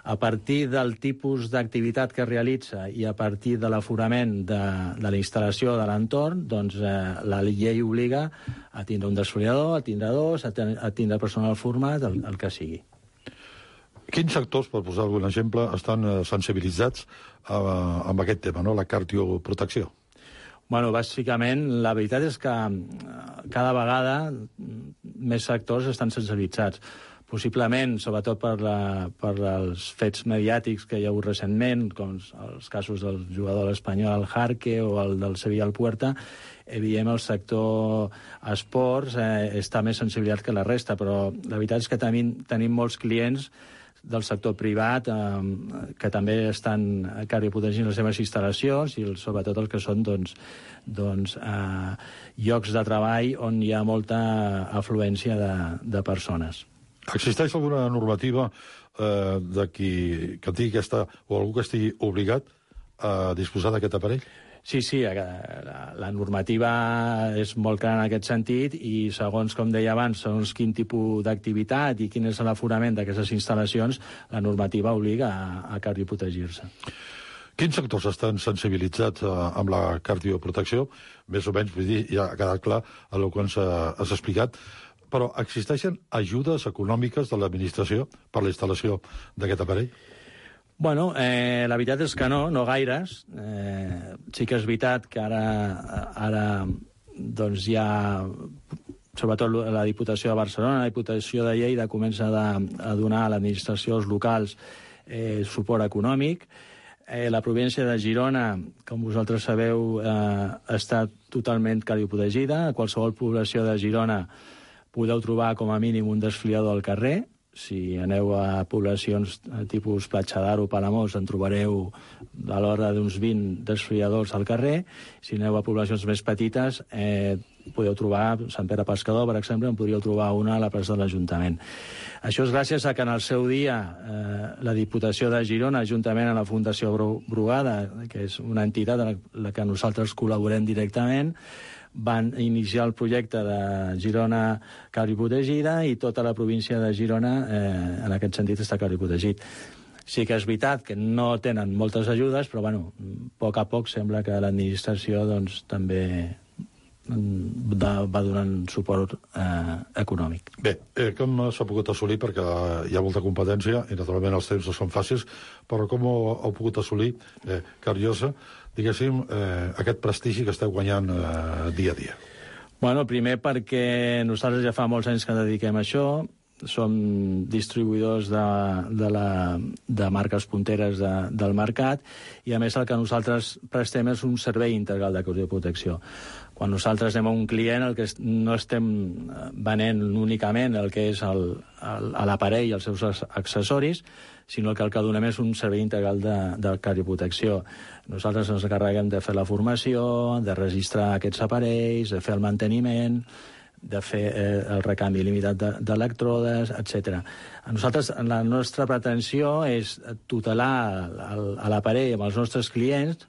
A partir del tipus d'activitat que realitza i a partir de l'aforament de, de la instal·lació de l'entorn, doncs eh, la llei obliga a tindre un desfibrilador, a tindre dos, a, ten, a tindre personal format, el, el que sigui. Quins sectors, per posar algun exemple, estan eh, sensibilitzats eh, amb aquest tema, no? La cardioprotecció? Bueno, bàsicament, la veritat és que cada vegada més sectors estan sensibilitzats. Possiblement, sobretot per, la, per els fets mediàtics que hi ha hagut recentment, com els casos del jugador espanyol Jarque o el del Sevilla al Puerta, evidentment el sector esports eh, està més sensibilitzat que la resta, però la veritat és que tenim, tenim molts clients del sector privat eh, que també estan cardioprotegint les seves instal·lacions i sobretot els que són doncs, doncs, eh, llocs de treball on hi ha molta afluència de, de persones. Existeix alguna normativa eh, de qui, que tingui aquesta, o algú que estigui obligat a disposar d'aquest aparell? Sí, sí, la, la normativa és molt clara en aquest sentit i segons, com deia abans, segons quin tipus d'activitat i quin és l'aforament d'aquestes instal·lacions, la normativa obliga a, a cardioprotegir-se. Quins sectors estan sensibilitzats eh, amb la cardioprotecció? Més o menys, vull dir, ja ha quedat clar el que ens has explicat, però existeixen ajudes econòmiques de l'administració per la instal·lació d'aquest aparell? Bueno, eh, la veritat és que no, no gaires. Eh, sí que és veritat que ara, ara doncs hi ha, sobretot la Diputació de Barcelona, la Diputació de Lleida comença a, a donar a l'administració, als locals, eh, suport econòmic. Eh, la província de Girona, com vosaltres sabeu, eh, està totalment cardioprotegida. A qualsevol població de Girona podeu trobar com a mínim un desfibrilador al carrer. Si aneu a poblacions tipus Platja d'Aro o Palamós, en trobareu a l'hora d'uns vint desfibriladors al carrer. Si aneu a poblacions més petites, eh, podeu trobar Sant Pere Pescador, per exemple, en podríeu trobar una a la plaça de l'Ajuntament. Això és gràcies a que en el seu dia eh, la Diputació de Girona, juntament amb la Fundació Brugada, que és una entitat en la que nosaltres col·laborem directament, van iniciar el projecte de Girona cardioprotegida i tota la província de Girona eh, en aquest sentit està cardioprotegit. Sí que és veritat que no tenen moltes ajudes, però bueno, a poc a poc sembla que l'administració doncs, també de, va donant suport eh, econòmic. Bé, eh, com s'ha pogut assolir, perquè hi ha molta competència i naturalment els temps no són fàcils, però com ho heu pogut assolir, eh, Cariosa, diguéssim, eh, aquest prestigi que esteu guanyant eh, dia a dia? Bueno, primer perquè nosaltres ja fa molts anys que dediquem a això, som distribuïdors de, de, la, de marques punteres de, del mercat i, a més, el que nosaltres prestem és un servei integral de cardioprotecció. Quan nosaltres anem a un client, el que no estem venent únicament el que és l'aparell i els seus accessoris, sinó que el que donem és un servei integral de, de cardioprotecció. Nosaltres ens encarreguem de fer la formació, de registrar aquests aparells, de fer el manteniment, de fer eh, el recanvi limitat d'elèctrodes, etcètera. A nosaltres, la nostra pretensió és tutelar l'aparell amb els nostres clients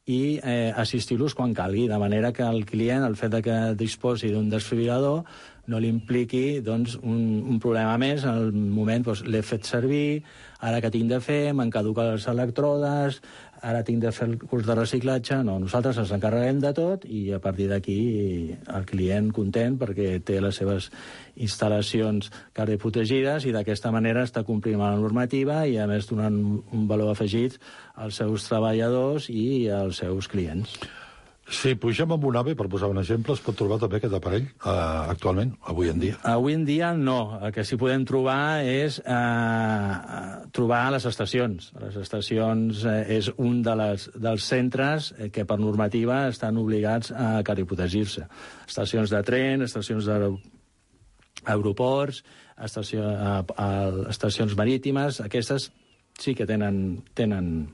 i eh, assistir-los quan calgui, de manera que el client, el fet de que disposi d'un desfibrilador, no li impliqui doncs, un, un problema més. En el moment doncs, l'he fet servir, ara que tinc de fer, m'han caducat les elèctrodes, ara tinc de fer el curs de reciclatge. No, nosaltres ens encarreguem de tot i a partir d'aquí el client content perquè té les seves instal·lacions cardioprotegides i d'aquesta manera està complint la normativa i, a més, donant un valor afegit als seus treballadors i als seus clients. Si pugem amb un AVE, per posar un exemple, es pot trobar també aquest aparell eh, actualment, avui en dia? Avui en dia no. El que sí podem trobar és eh, trobar a les estacions. A les estacions eh, és un de les, dels centres eh, que per normativa estan obligats a cardioprotegir-se. Estacions de tren, estacions d'aeroports, estació, a, a, estacions marítimes, aquestes sí que tenen... tenen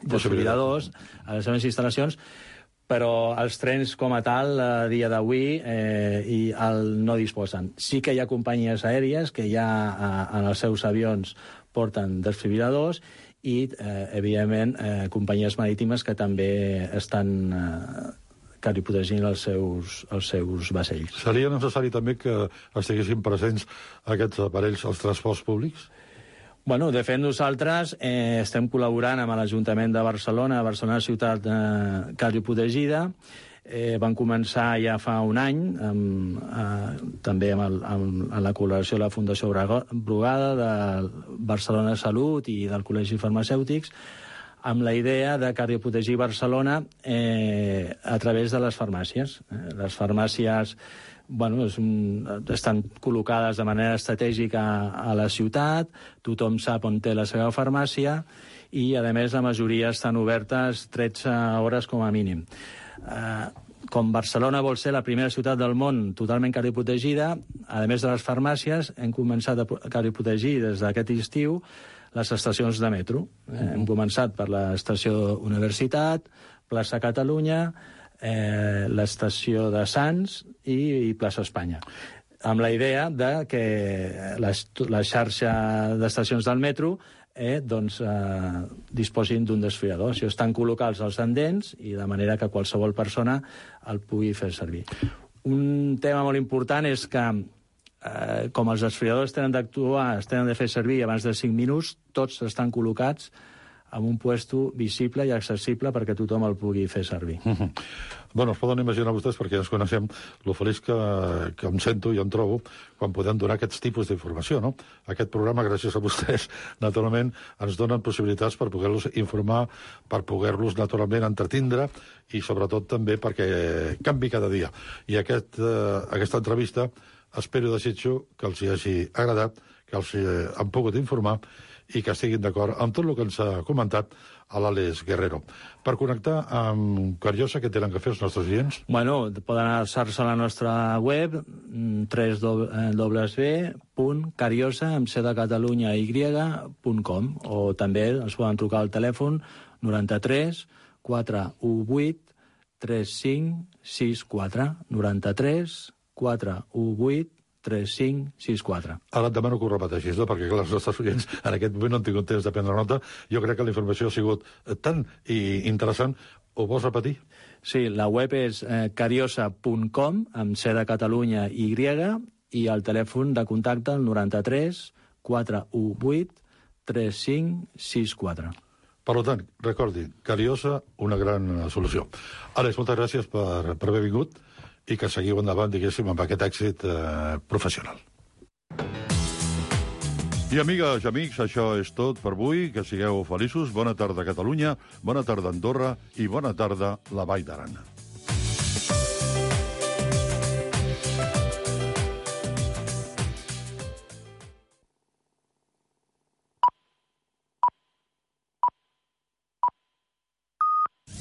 desfibriladors a les seves instal·lacions, però els trens com a tal, a dia d'avui, eh, i el no disposen. Sí que hi ha companyies aèries que ja a, en els seus avions porten desfibriladors i, eh, evidentment, eh, companyies marítimes que també estan eh, cardioprotegint els seus, els seus vaixells. Seria necessari també que estiguessin presents aquests aparells als transports públics? Bueno, de fet, nosaltres eh, estem col·laborant amb l'Ajuntament de Barcelona, Barcelona ciutat eh, cardioprotegida. Eh, van començar ja fa un any, amb, eh, també amb, el, amb, amb la col·laboració de la Fundació Brugada, de Barcelona Salut i del Col·legi Farmacèutics, amb la idea de cardioprotegir Barcelona eh, a través de les farmàcies. Eh, les farmàcies bueno, és un, estan col·locades de manera estratègica a la ciutat, tothom sap on té la seva farmàcia i, a més, la majoria estan obertes tretze hores com a mínim. Eh, com Barcelona vol ser la primera ciutat del món totalment cardioprotegida, a més de les farmàcies, hem començat a cardioprotegir des d'aquest estiu les estacions de metro. Eh, hem començat per l'estació Universitat, plaça Catalunya, Eh, l'estació de Sants i, i plaça Espanya, amb la idea de que la, la xarxa d'estacions del metro eh, doncs, eh, disposin d'un desfibrilador. Això estan col·locats als andens i de manera que qualsevol persona el pugui fer servir. Un tema molt important és que eh, com els desfibriladors tenen d'actuar, es tenen de fer servir abans de cinc minuts, tots estan col·locats amb un puesto visible i accessible perquè tothom el pugui fer servir. Mm-hmm. Bueno, es poden imaginar vostès, perquè ja ens coneixem, lo feliç que, que em sento i em trobo quan podem donar aquests tipus d'informació, no? Aquest programa, gràcies a vostès, naturalment, ens donen possibilitats per poder-los informar, per poder-los, naturalment, entretindre i, sobretot, també perquè canvi cada dia. I aquest, eh, aquesta entrevista espero i desitjo que els hi hagi agradat, que els hi han pogut informar i que estiguin d'acord amb tot el que ens ha comentat a l'Àlex Guerrero. Per connectar amb Cariosa, què tenen que fer els nostres clients? Bueno, poden anar-se a la nostra web, w w w punt cariosa, amb C de Catalunya, y, punt com, o també ens poden trucar al telèfon noranta-tres quatre u vuit tres cinc sis quatre, noranta-tres quatre u vuit tres cinc sis quatre. Ara et demano que ho repeteixis, no? Perquè clar, els nostres oients en aquest moment no han tingut temps de prendre nota. Jo crec que la informació ha sigut tan interessant. Ho vols repetir? Sí, la web és eh, cariosa punt com, amb C de Catalunya, Y, i el telèfon de contacte el noranta-tres quatre u vuit tres cinc sis quatre. Per tant, recordi, Cariosa, una gran solució. Àlex, moltes gràcies per, per haver vingut i que seguiu endavant, diguéssim, amb aquest èxit eh, professional. I amigues i amics, això és tot per avui. Que sigueu feliços. Bona tarda, Catalunya. Bona tarda, Andorra. I bona tarda, la Vall d'Aran.